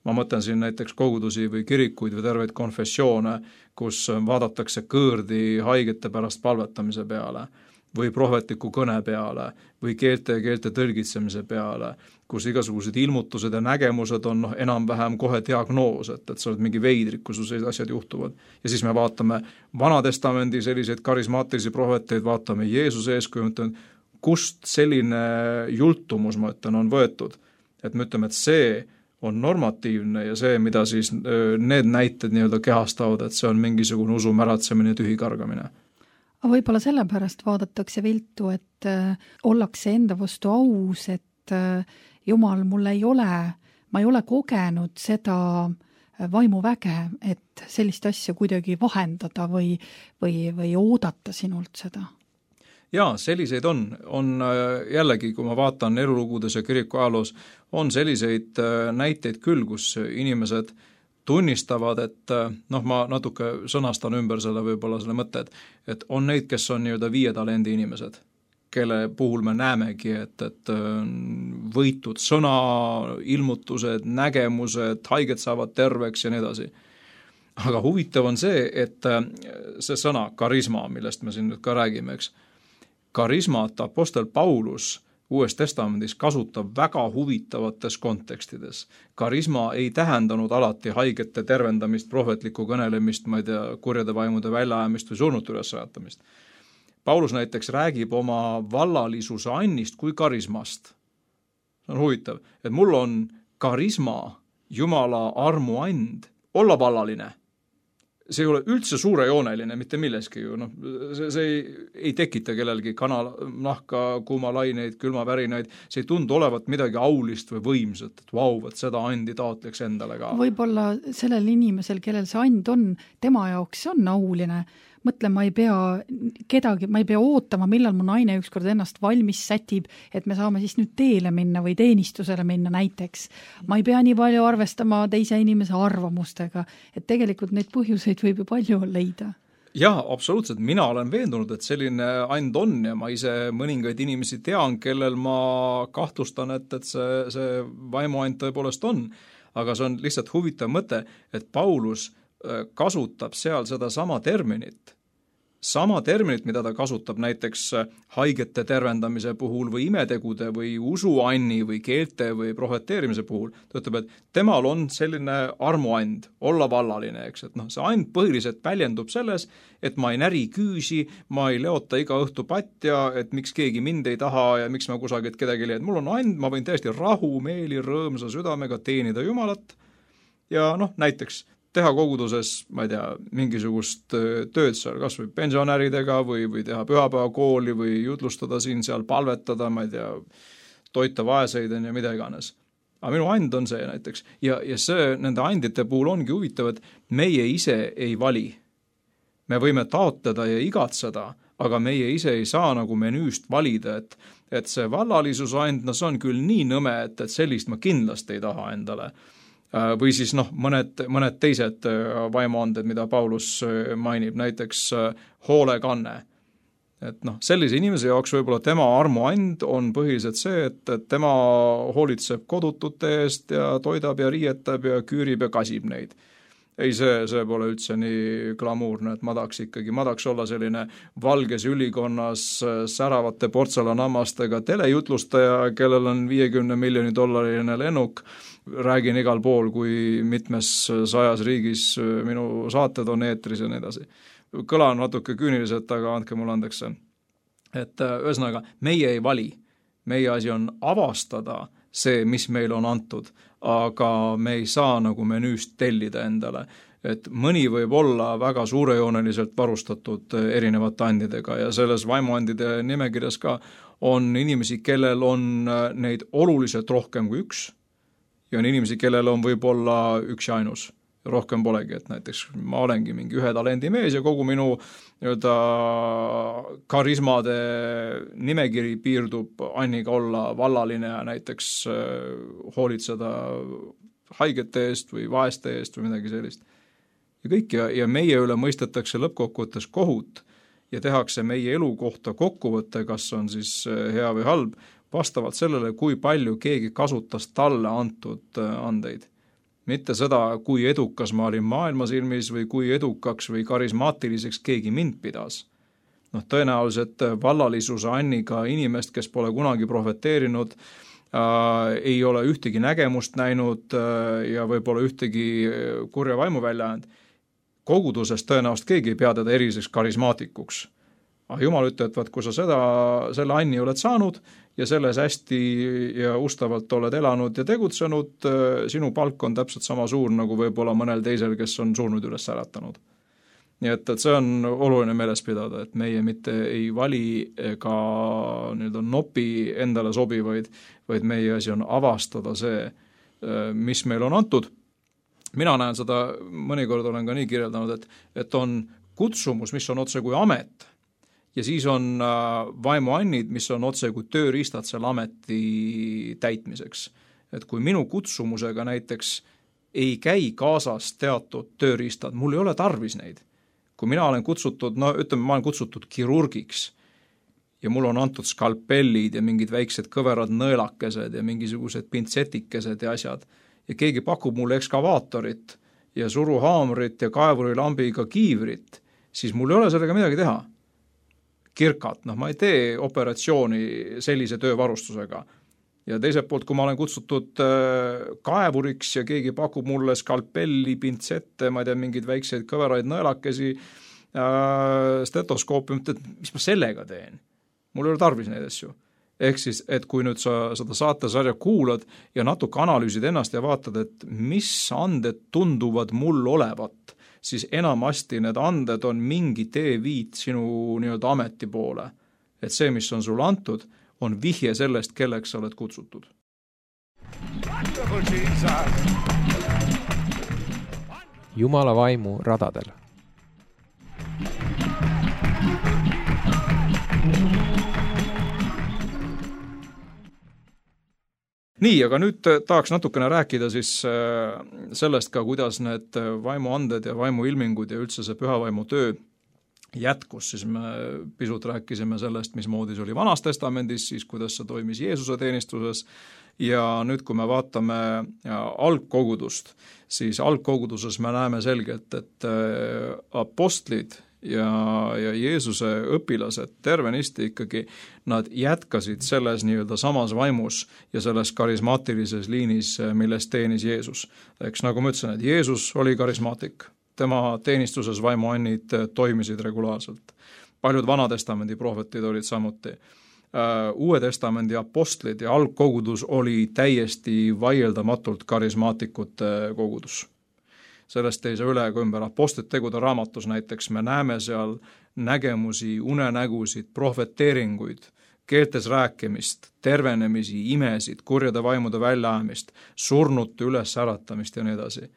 Ma mõtlen siin näiteks kogudusi või kirikuid või terveid konfessioone, kus vaadatakse kõõrdi haigete pärast palvetamise peale või prohvetliku kõne peale või keelte tõlgitsemise peale, kus igasugused ilmutused ja nägemused on enam-vähem kohe diagnoos, et sa oled mingi veidrik, kus sellised asjad juhtuvad. Ja siis me vaatame Vanatestamendi selliseid karismaatilisi prohveteid, vaatame Jeesuse eeskuju, kust selline jultumus, ma ütlen, on võetud. Et me ütleme, et see on normatiivne ja see, mida siis need näited nii-öelda kehastavad, et see on mingisugune usu märatsemine, tühi kargamine. Aga võib-olla sellepärast vaadatakse viltu, et ollakse enda vastu aus, et Jumal, ma ei ole kogenud seda vaimuväge, et sellist asja kuidagi vahendada või oodata sinult seda. Jaa, selliseid on jällegi, kui ma vaatan elulugudes ja kiriku ajaloos, on selliseid näiteid küll, kus inimesed tunnistavad, et ma natuke sõnastan ümber selle võib-olla selle mõtte, et on neid, kes on nii-öelda 5 talendi inimesed, kelle puhul me näemegi, et võitud sõna, ilmutused, nägemused, haiged saavad terveks ja nii edasi. Aga huvitav on see, et see sõna karisma, millest me siin nüüd ka räägime, eks, karismat apostel Paulus Uues Testamendis kasutab väga huvitavates kontekstides. Karisma ei tähendanud alati haigete tervendamist, prohvetlikku kõnelemist, ma ei tea, kurjade vaimude väljaajamist või surnute ülesrajatamist. Paulus näiteks räägib oma vallalisuse annist kui karismast. See on huvitav, et mul on karisma, Jumala armu and, olla vallaline. See ei ole üldse suurejooneline, mitte milleski ju. See ei tekita kellelgi kanalnahka, kuumalaineid, külmavärinaid. See ei tundu olevat midagi aulist või võimsat, et vau, et seda andi taotleks endale ka. Võib-olla sellel inimesel, kellel see and on, tema jaoks on auline. mõtle, ma ei pea ootama, millal mu naine ükskord ennast valmis sätib, et me saame siis nüüd teele minna või teenistusele minna näiteks. Ma ei pea nii palju arvestama teise inimese arvamustega, et tegelikult neid põhjuseid võib ju palju leida. Jah, absoluutselt. Mina olen veendunud, et selline and on ja ma ise mõningaid inimesi tean, kellel ma kahtlustan, et see vaimuand tõepoolest on. Aga see on lihtsalt huvitav mõte, et Paulus kasutab seal seda sama terminit, mida ta kasutab näiteks haigete tervendamise puhul või imetegude või usuanni või keelte või prohveteerimise puhul. Ta ütleb, et temal on selline armuand, olla vallaline, eks, et see and põhiliselt väljendub selles, et ma ei näri küüsi, ma ei leota iga õhtu patja, et miks keegi mind ei taha ja miks ma kusagilt kedagi leian. Mul on and, ma võin täiesti rahumeeli, rõõmsa südamega teenida Jumalat ja näiteks teha koguduses, ma ei tea, mingisugust tööd seal, kas või pensionäridega või teha pühapäevakooli või jutlustada siin-seal, palvetada, ma ei tea, toita vaeseid ja mida iganes. Aga minu and on see näiteks. Ja see nende andite puhul ongi huvitav, et meie ise ei vali. Me võime taotleda ja igatseda, aga meie ise ei saa nagu menüüst valida, et see vallalisuse and, see on küll nii nõme, et sellist ma kindlasti ei taha endale. Või siis mõned teised vaimuanded, mida Paulus mainib, näiteks hoolekanne. Et sellise inimese jaoks võib-olla tema armuand on põhiliselt see, et tema hoolitseb kodutute eest ja toidab ja riietab ja küürib ja kasib neid. Ei, see pole üldse nii glamuurne, et ma tahaks olla selline valges ülikonnas säravate portselanammastega telejutlustaja, kellel on $50 miljoni lennuk, räägin igal pool, kui mitmes 100 riigis minu saated on eetris ja nii edasi. Kõlan natuke küüniliselt, aga andke mulle andeks. Et ühesõnaga, meie ei vali. Meie asi on avastada see, mis meil on antud, aga me ei saa nagu menüüst tellida endale. Et mõni võib olla väga suurejooneliselt varustatud erinevate andidega ja selles vaimuandide nimekirjas ka on inimesi, kellel on neid oluliselt rohkem kui üks ja on inimesi, kellel on võib-olla üks ja ainus. Rohkem polegi, et näiteks ma olengi mingi 1 talendi mees ja kogu minu karismade nimekiri piirdub anniga olla vallaline ja näiteks hoolitseda haigete eest või vaeste eest või midagi sellist. Ja kõik ja meie üle mõistetakse lõppkokkuvõttes kohut ja tehakse meie elu kohta kokkuvõtte, kas on siis hea või halb, vastavalt sellele, kui palju keegi kasutas talle antud andeid. Mitte seda, kui edukas ma olin maailma silmis või kui edukaks või karismaatiliseks keegi mind pidas. Tõenäoliselt vallalisuse anniga inimest, kes pole kunagi prohveteerinud, ei ole ühtegi nägemust näinud ja võib-olla ühtegi kurja vaimu välja andnud. Kogudusest tõenäoliselt keegi ei pea teda eriseks karismaatikuks. Aga Jumal ütleb, et kui sa selle anni oled saanud ja selles hästi ja ustavalt oled elanud ja tegutsenud, sinu palk on täpselt sama suur nagu võib-olla mõnel teisel, kes on surnud üles äratanud. Nii et see on oluline meeles pidada, et meie mitte ei vali ega nopi endale sobivaid, vaid meie asi on avastada see, mis meil on antud. Mina näen seda, mõnikord olen ka nii kirjeldanud, et on kutsumus, mis on otse kui amet, ja siis on vaimuannid, mis on otse kui tööriistad selle ameti täitmiseks. Et kui minu kutsumusega näiteks ei käi kaasas teatud tööriistad, mul ei ole tarvis neid. Kui mina olen kutsutud, ma olen kutsutud kirurgiks ja mul on antud skalpellid ja mingid väiksed kõverad nõelakesed ja mingisugused pintsetikesed ja asjad ja keegi pakub mulle ekskavaatorit ja suruhaamrit ja kaevurilambiga kiivrit, siis mul ei ole sellega midagi teha. Kirkat, ma ei tee operatsiooni sellise töövarustusega. Ja teiselt poolt, kui ma olen kutsutud kaevuriks ja keegi pakub mulle skalpelli, pintsette, ma ei tea, mingid väikseid kõveraid nõelakesi, stetoskoopi, mis ma sellega teen? Mul ei ole tarvis neid asju. Ehk siis, et kui nüüd sa seda saatesarja kuulad ja natuke analüüsid ennast ja vaatad, et mis anded tunduvad mul olevat, siis enamasti need anded on mingi teeviit sinu ameti poole. Et see, mis on sul antud, on vihje sellest, kelleks sa oled kutsutud. Jumala vaimu radadel. Nii, aga nüüd tahaks natukene rääkida siis sellest ka, kuidas need vaimuanded ja vaimuilmingud ja üldse see pühavaimu töö jätkus, siis me pisut rääkisime sellest, mismoodi see oli Vanas Testamendis, siis kuidas see toimis Jeesuse teenistuses ja nüüd, kui me vaatame algkogudust, siis algkoguduses me näeme selgelt, et apostlid ja Jeesuse õpilased tervenisti ikkagi, nad jätkasid selles nii-öelda samas vaimus ja selles karismaatilises liinis, milles teenis Jeesus. Eks nagu ma ütlesin, et Jeesus oli karismaatik. Tema teenistuses vaimuannid toimisid regulaarselt. Paljud Vanatestamendi prohvetid olid samuti. Uue testamendi apostlid ja algkogudus oli täiesti vaieldamatult karismaatikute kogudus. Sellest ei saa üle ega ümber. Apostlite tegude raamatus näiteks me näeme seal nägemusi, unenägusid, prohveteeringuid, keeltes rääkimist, tervenemisi, imesid, kurjade vaimude väljaajamist, surnute üles äratamist ja nii edasi.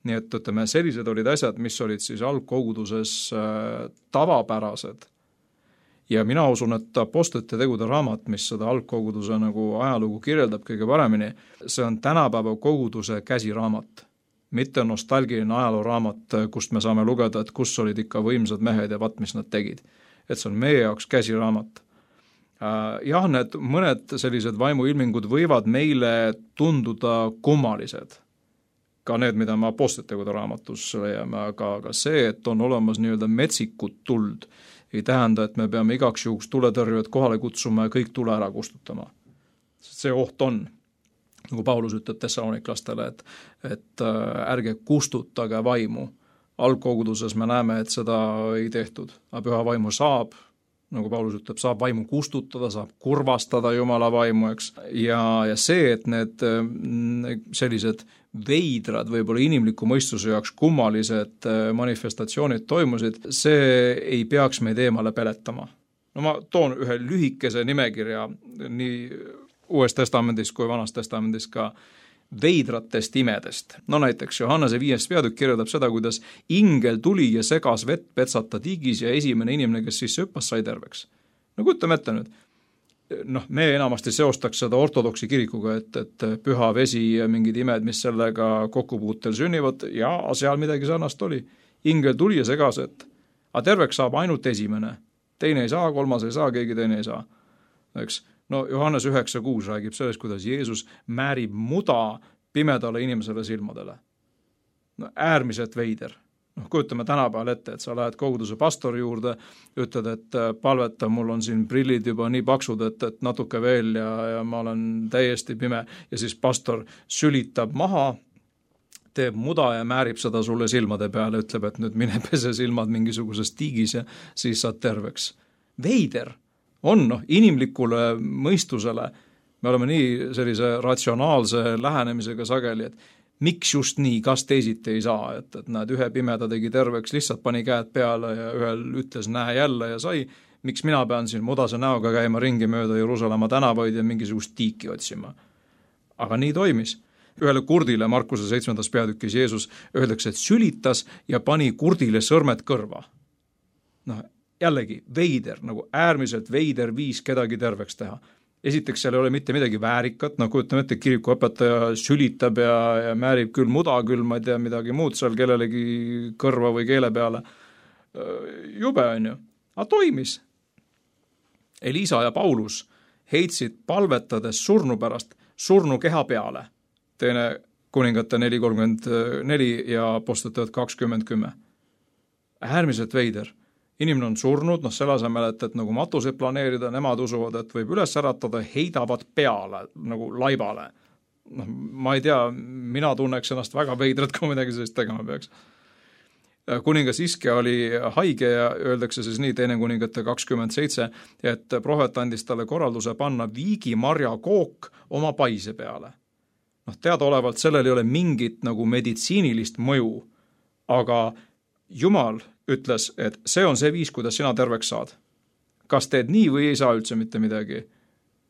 Nii et ütleme, sellised olid asjad, mis olid siis algkoguduses tavapärased. Ja mina usun, et apostlite tegude raamat, mis seda algkoguduse nagu ajalugu kirjeldab kõige paremini, see on tänapäeva koguduse käsiraamat. Mitte nostalgiline ajalooraamat, kust me saame lugeda, et kus olid ikka võimsad mehed ja mis nad tegid. Et see on meie jaoks käsiraamat. Jah, need mõned sellised vaimuilmingud võivad meile tunduda kummalised. Ka need, mida me apostlite tegude raamatus leiame, aga see, et on olemas nii-öelda metsikut tuld, ei tähenda, et me peame igaks juhuks tuletõrjujad kohale kutsuma ja kõik tule ära kustutama. See oht on, nagu Paulus ütleb Thessaloniklastele, et ärge kustutage vaimu. Algkoguduses me näeme, et seda ei tehtud. Aga püha vaimu saab, nagu Paulus ütleb, saab vaimu kustutada, saab kurvastada Jumala vaimu, eks. Ja see, et need sellised veidrad, võib-olla inimliku mõistuse jaoks kummalised manifestatsioonid toimusid, see ei peaks meid eemale peletama. No ma toon ühe lühikese nimekirja nii Uues testamendis kui Vanas testamendis ka veidratest imedest. No näiteks Johannese 5. peatükk kirjeldab seda, kuidas ingel tuli ja segas vett petsata tiigis ja esimene inimene, kes sisse hüppas, sai terveks. No kujutame ette nüüd. Me enamasti seostaks seda ortodoksi kirikuga, et püha vesi ja mingid imed, mis sellega kokkupuutel sünnivad, ja seal midagi sarnast oli. Ingel tuli ja segas, et terveks saab ainult esimene. Teine ei saa, kolmas ei saa, keegi teine ei saa. Eks? No Johannes 9.6 räägib sellest, kuidas Jeesus määrib muda pimedale inimesele silmadele. No äärmiselt veider. Kujutame tänapäeval ette, et sa lähed koguduse pastori juurde, ütled, et palveta, mul on siin prillid juba nii paksud, et natuke veel ja ma olen täiesti pime. Ja siis pastor sülitab maha, teeb muda ja määrib seda sulle silmade peale, ütleb, et nüüd mine pese silmad mingisuguses tiigis ja siis saad terveks. Veider on inimlikule mõistusele. Me oleme nii sellise ratsionaalse lähenemisega sageli, et miks just nii, kas teisiti ei saa, et näed, ühe pimeda tegi terveks, lihtsalt pani käed peale ja ühel ütles näe jälle ja sai, miks mina pean siin mudase näoga käima ringi mööda Jeruusalemma tänavaid ja mingisugust tiiki otsima. Aga nii toimis. Ühele kurdile Markuse 7. peatükis Jeesus öeldakse, et sülitas ja pani kurdile sõrmed kõrva. Jällegi veider, nagu äärmiselt veider viis kedagi terveks teha. Esiteks seal ei ole mitte midagi väärikat, kujutame ette, kirikuõpetaja sülitab ja määrib küll muda, küll ma ei tea midagi muud seal kellelegi kõrva või keele peale. Jube on ju, aga toimis. Elisa ja Paulus heitsid palvetades surnu pärast surnu keha peale. Teine kuningate 4.34 ja apostlite 20.10. Äärmiselt veider. Inimene on surnud, selle asemel, et nagu matuseid planeerida, nemad usuvad, et võib üles äratada, heidavad peale, nagu laibale. Ma ei tea, mina tunneks ennast väga veidrat, kui midagi sellist tegema peaks. Kuningas Iske oli haige ja öeldakse siis nii, teine kuningate 27, et prohvet andis talle korralduse panna viigimarja kook oma paise peale. Teadaolevalt sellel ei ole mingit nagu meditsiinilist mõju, aga Jumal ütles, et see on see viis, kuidas sina terveks saad. Kas teed nii või ei saa üldse mitte midagi?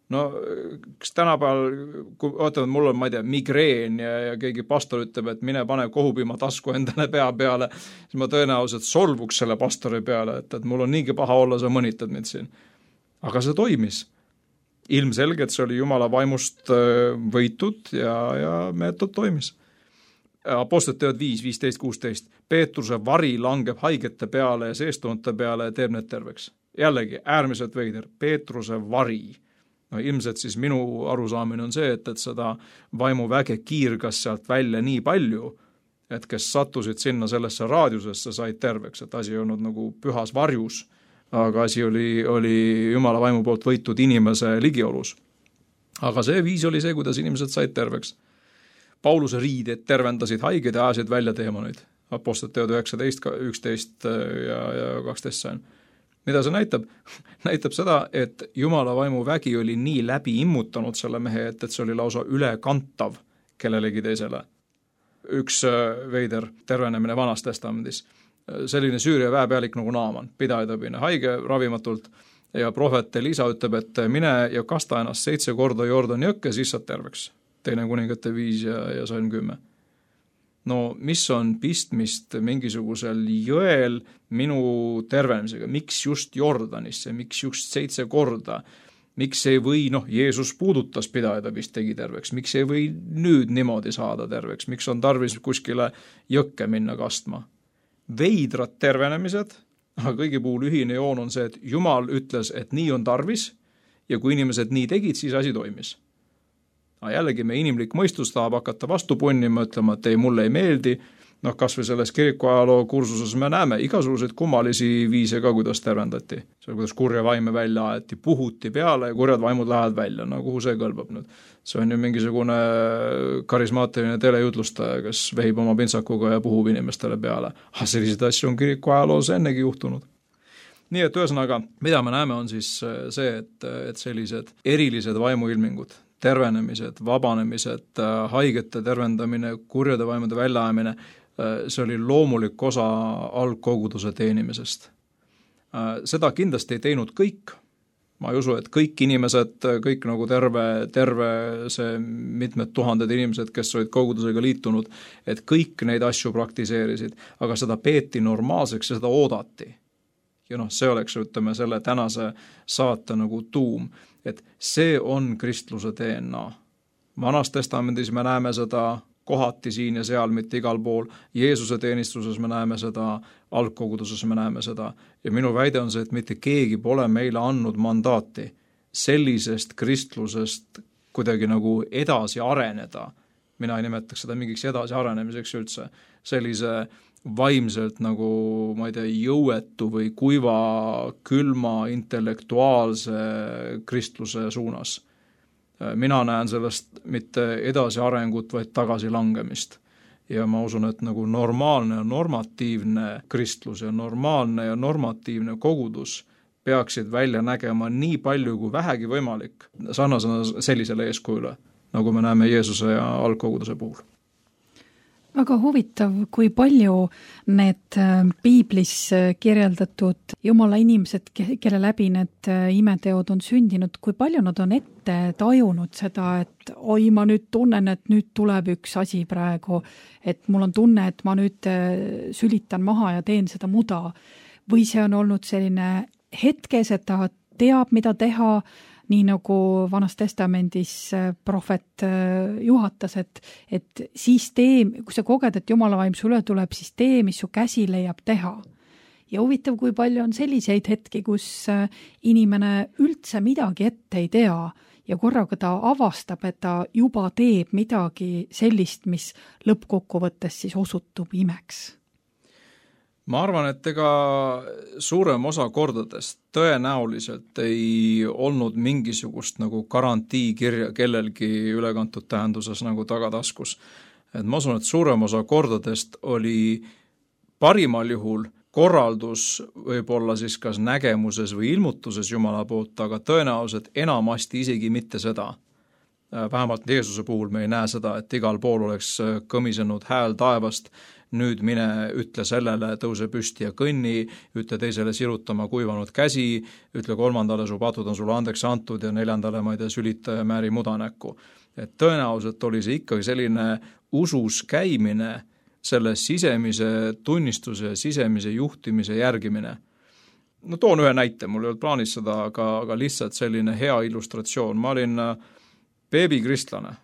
Kas tänapäeval, kui ootavad, mul on, ma ei tea, migreen ja keegi pastor ütleb, et mine pane kohupima tasku endale pea peale, siis ma tõenäoliselt solvuks selle pastori peale, et mul on niigi paha olla, sa mõnitad mind siin. Aga see toimis. ilmselgelt see oli Jumala vaimust võitud ja meetod toimis. Apostlite teod 5, 15, 16. Peetruse vari langeb haigete peale ja seestunute peale ja teeb need terveks. Jällegi, äärmiselt veider. Peetruse vari. No, ilmselt siis minu arusaamine on see, et seda vaimuväge kiirgas sealt välja nii palju, et kes sattusid sinna sellesse raadiusesse, said terveks, et asi ei olnud nagu pühas varjus, aga asi oli Jumala vaimu poolt võitud inimese ligiolus. Aga see viis oli see, kuidas inimesed said terveks. Pauluse riided tervendasid haiged ja ajasid välja teemoneid. Apostlite teod 19, 11 ja 12 sain. Mida see näitab? Näitab seda, et Jumala vaimu vägi oli nii läbi immutanud selle mehe, et see oli lausa ülekantav kellelegi teisele. Üks veider tervenemine Vanas testamendis. Selline Süüria väepealik nagu Naaman, pidajatabine, haige ravimatult ja prohvet Elisa ütleb, et mine ja kasta ennast 7 korda Jordani jõkke, siis saad terveks. 2 Kuningate 5 ja Salm 10. No mis on pistmist mingisugusel jõel minu tervenemisega? Miks just Jordanisse? Miks just 7 korda? Miks ei või, Jeesus puudutas pidajada, vist tegi terveks. Miks ei või nüüd niimoodi saada terveks? Miks on tarvis kuskile jõkke minna kastma? Veidrad tervenemised, aga kõigi puhul ühine joon on see, et Jumal ütles, et nii on tarvis ja kui inimesed nii tegid, siis asi toimis. Jällegi me inimlik mõistus tahab hakata vastu punnima, ütlema, et ei, mulle ei meeldi. Kas või selles kirikuajaloo kursuses me näeme igasuguseid kummalisi viise ka, kuidas tervendati. See on, kuidas kurja vaime välja aeti, puhuti peale ja kurjad vaimud lähevad välja. Kuhu see kõlbab nüüd? See on ju mingisugune karismaatiline telejutlustaja, kes vehib oma pintsakuga ja puhub inimestele peale. Selliseid asju on kirikuajaloos ennegi juhtunud. Nii et ühesõnaga, mida me näeme on siis see, et sellised erilised vaimuilmingud, tervenemised, vabanemised, haigete tervendamine, kurjade vaimude väljaajamine, see oli loomulik osa algkoguduse teenimisest. Seda kindlasti ei teinud kõik. Ma ei usu, et kõik inimesed, kõik nagu terve see mitmed tuhanded inimesed, kes olid kogudusega liitunud, et kõik neid asju praktiseerisid, aga seda peeti normaalseks ja seda oodati. Ja see oleks, ütleme, selle tänase saate nagu tuum, et see on kristluse DNA. Vanas testamendis me näeme seda kohati siin ja seal, mitte igal pool. Jeesuse teenistuses me näeme seda, algkoguduses me näeme seda. Ja minu väide on see, et mitte keegi pole meile andnud mandaati sellisest kristlusest kuidagi nagu edasi areneda. Mina ei nimetaks seda mingiks edasi arenemiseks üldse. Sellise vaimselt nagu, ma ei tea, jõuetu või kuiva, külma, intellektuaalse kristluse suunas. Mina näen sellest mitte edasi arengut, vaid tagasi langemist. Ja ma usun, et nagu normaalne ja normatiivne kristlus ja normaalne ja normatiivne kogudus peaksid välja nägema nii palju kui vähegi võimalik sarnasena sellisele eeskujule, nagu me näeme Jeesuse ja algkoguduse puhul. Väga huvitav, kui palju need piiblis kirjeldatud Jumala inimesed, kelle läbi need imeteod on sündinud, kui palju nad on ette tajunud seda, et oi, ma nüüd tunnen, et nüüd tuleb üks asi praegu, et mul on tunne, et ma nüüd sülitan maha ja teen seda muda. Või see on olnud selline hetkes, et ta teab, mida teha, nii nagu Vanas testamendis prohvet juhatas, et siis tee, kui sa koged, et Jumala vaim sulle tuleb, siis tee, mis su käsi leiab teha. Ja huvitav, kui palju on selliseid hetki, kus inimene üldse midagi ette ei tea ja korraga ta avastab, et ta juba teeb midagi sellist, mis lõppkokkuvõttes siis osutub imeks. Ma arvan, et ega suurem osa kordadest tõenäoliselt ei olnud mingisugust nagu garantiikirja kellelgi ülekantud tähenduses nagu tagataskus. Et ma usun, et suurem osa kordadest oli parimal juhul korraldus võib-olla siis kas nägemuses või ilmutuses Jumala poolt, aga tõenäoliselt enamasti isegi mitte seda. Vähemalt Jeesuse puhul me ei näe seda, et igal pool oleks kõmisenud hääl taevast, nüüd mine, ütle sellele, tõuse püsti ja kõnni, ütle teisele sirutama kuivanud käsi, ütle 3. su patud on sulle andeks antud ja 4. ma ei tea, sülita ja määri mudanäkku. Et tõenäoliselt oli see ikkagi selline usus käimine, selle sisemise tunnistuse ja sisemise juhtimise järgimine. no toon ühe näite, mul ei olnud plaanis seda, aga lihtsalt selline hea illustratsioon. Ma olin beebikristlane,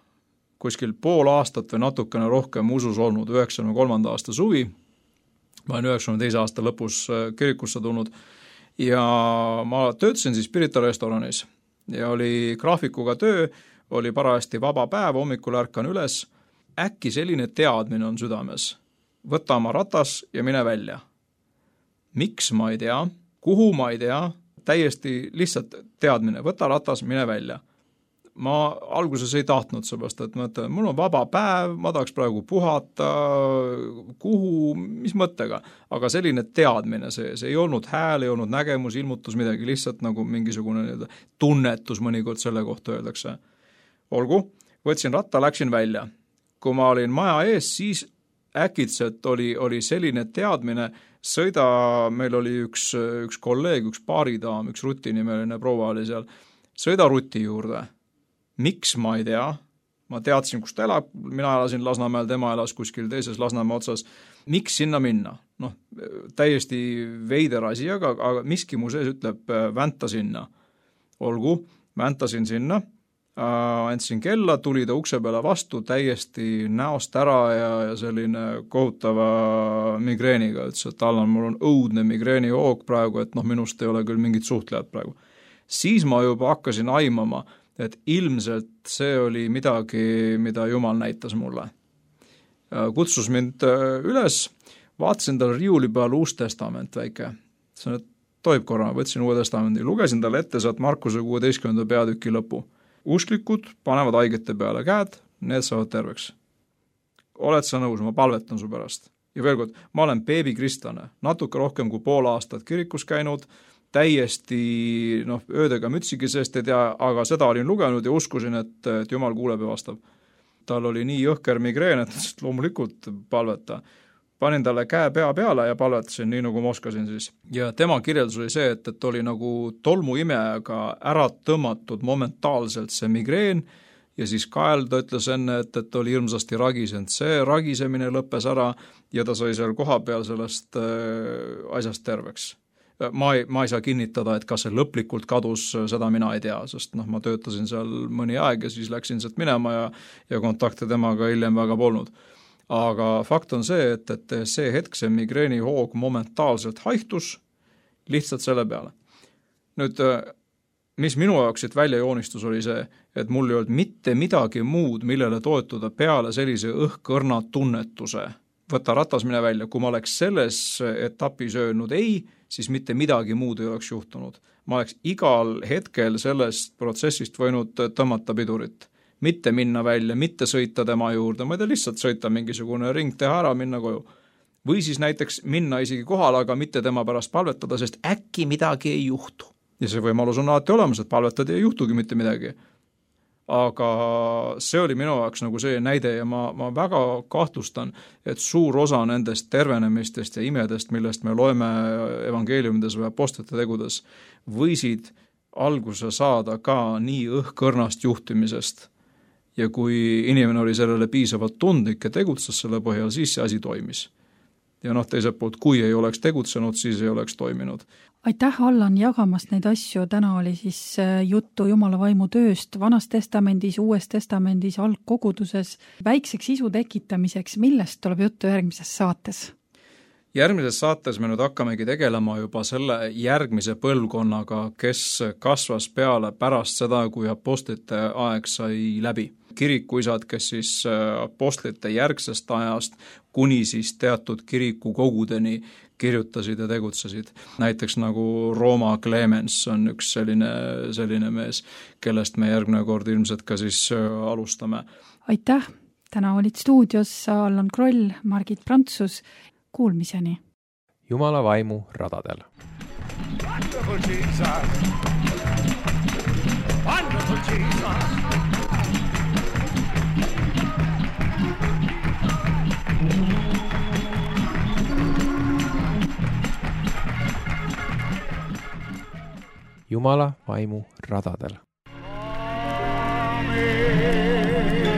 kuskil pool aastat või natukene rohkem usus olnud, 93. aasta suvi, ma olen 92. aasta lõpus kirikusse tulnud ja ma töötasin siis Pirita restoranis ja oli graafikuga töö, oli parajasti vaba päev, hommikul ärkan üles, äkki selline teadmine on südames, võta oma ratas ja mine välja. Miks ma ei tea, kuhu ma ei tea, täiesti lihtsalt teadmine, võta ratas, mine välja. Ma alguses ei tahtnud seepärast, et mõtlen, mul on vaba päev, ma tahaks praegu puhata, kuhu, mis mõttega, aga selline teadmine, see ei olnud hääl, ei olnud nägemus, ilmutus midagi, lihtsalt nagu mingisugune tunnetus mõnikord selle kohta öeldakse. Olgu, võtsin ratta, läksin välja. Kui ma olin maja ees, siis äkitselt oli selline teadmine, sõida, meil oli üks kolleeg, üks baaridaam, üks Ruti nimeline proua oli seal, sõida Ruti juurde. Miks ma ei tea, ma teadsin, kus ta elab, mina elasin Lasnamäel, tema elas kuskil teises Lasnamäe otsas, miks sinna minna? Noh, täiesti veider asi, aga miski mu sees ütleb, vänta sinna. Olgu, väntasin sinna, andsin kella, tuli ta ukse peale vastu täiesti näost ära ja selline kohutava migreeniga, ütles, et Allan, mul on õudne migreenihoog praegu, et minust ei ole küll mingit suhtlejat praegu. Siis ma juba hakkasin aimama, et ilmselt see oli midagi, mida Jumal näitas mulle. Kutsus mind üles, vaatasin tal riiuli peal Uus Testament väike. See toib korra, võtsin Uue Testamendi, lugesin talle ette sealt Markuse 16. peatüki lõpu. Usklikud panevad haigete peale käed, need saavad terveks. Oled sa nõus, ma palvetan su pärast. Ja veel kord, ma olen beebikristlane, natuke rohkem kui pool aastat kirikus käinud, täiesti öödega mütsigi seest ei tea, aga seda olin lugenud ja uskusin, et Jumal kuuleb ja vastab. Tal oli nii jõhker migreen, et loomulikult palveta. Panin talle käe pea peale ja palvetasin nii, nagu ma oskasin siis. Ja tema kirjeldus oli see, et oli nagu tolmuimejaga ära tõmmatud momentaalselt see migreen ja siis kael ta ütles enne, et oli hirmsasti ragisenud. See ragisemine lõppes ära ja ta sai seal koha peal sellest asjast terveks. Ma ei saa kinnitada, et kas see lõplikult kadus, seda mina ei tea, sest ma töötasin seal mõni aeg ja siis läksin sealt minema ja kontakte temaga hiljem väga polnud. Aga fakt on see, et see hetk, see migreenihoog momentaalselt haihtus lihtsalt selle peale. Nüüd, mis minu jaoks siit välja joonistus oli see, et mul ei olnud mitte midagi muud, millele toetuda peale sellise õhkõrna tunnetuse. Võta ratas, mine välja. Kui ma oleks selles etapis öelnud ei, siis mitte midagi muud ei oleks juhtunud. Ma oleks igal hetkel sellest protsessist võinud tõmmata pidurit. Mitte minna välja, mitte sõita tema juurde, ma ei tea, lihtsalt sõita mingisugune ring, teha ära, minna koju. Või siis näiteks minna isegi kohale, aga mitte tema pärast palvetada, sest äkki midagi ei juhtu. Ja see võimalus on alati olemas, et palvetada ei juhtugi mitte midagi. Aga see oli minu jaoks nagu see näide ja ma väga kahtlustan, et suur osa nendest tervenemistest ja imedest, millest me loeme evangeeliumides või apostlite tegudes, võisid alguse saada ka nii õhkõrnast juhtimisest. Ja kui inimene oli sellele piisavalt tundlik ja tegutses selle põhjal, siis see asi toimis. Ja teiselt poolt, kui ei oleks tegutsenud, siis ei oleks toiminud. Aitäh, Allan, jagamast neid asju. Täna oli siis juttu Jumala vaimu tööst Vanas testamendis, Uues testamendis, algkoguduses. Väikseks isu tekitamiseks, millest tuleb juttu järgmises saates? Järgmises saates me nüüd hakkamegi tegelema juba selle järgmise põlvkonnaga, kes kasvas peale pärast seda, kui apostlite aeg sai läbi. Kirikuisad, kes siis apostlite järgsest ajast kuni siis teatud kirikukogudeni kirjutasid ja tegutsesid. Näiteks nagu Rooma Clemens on üks selline mees, kellest me järgmine kord ilmselt ka siis alustame. Aitäh! Täna olid stuudios Allan Kroll, Margit Prantsus. Kuulmiseni. Jumala vaimu radadel. Wonderful Jesus! Wonderful Jesus! Jumala vaimu radadel. Amen.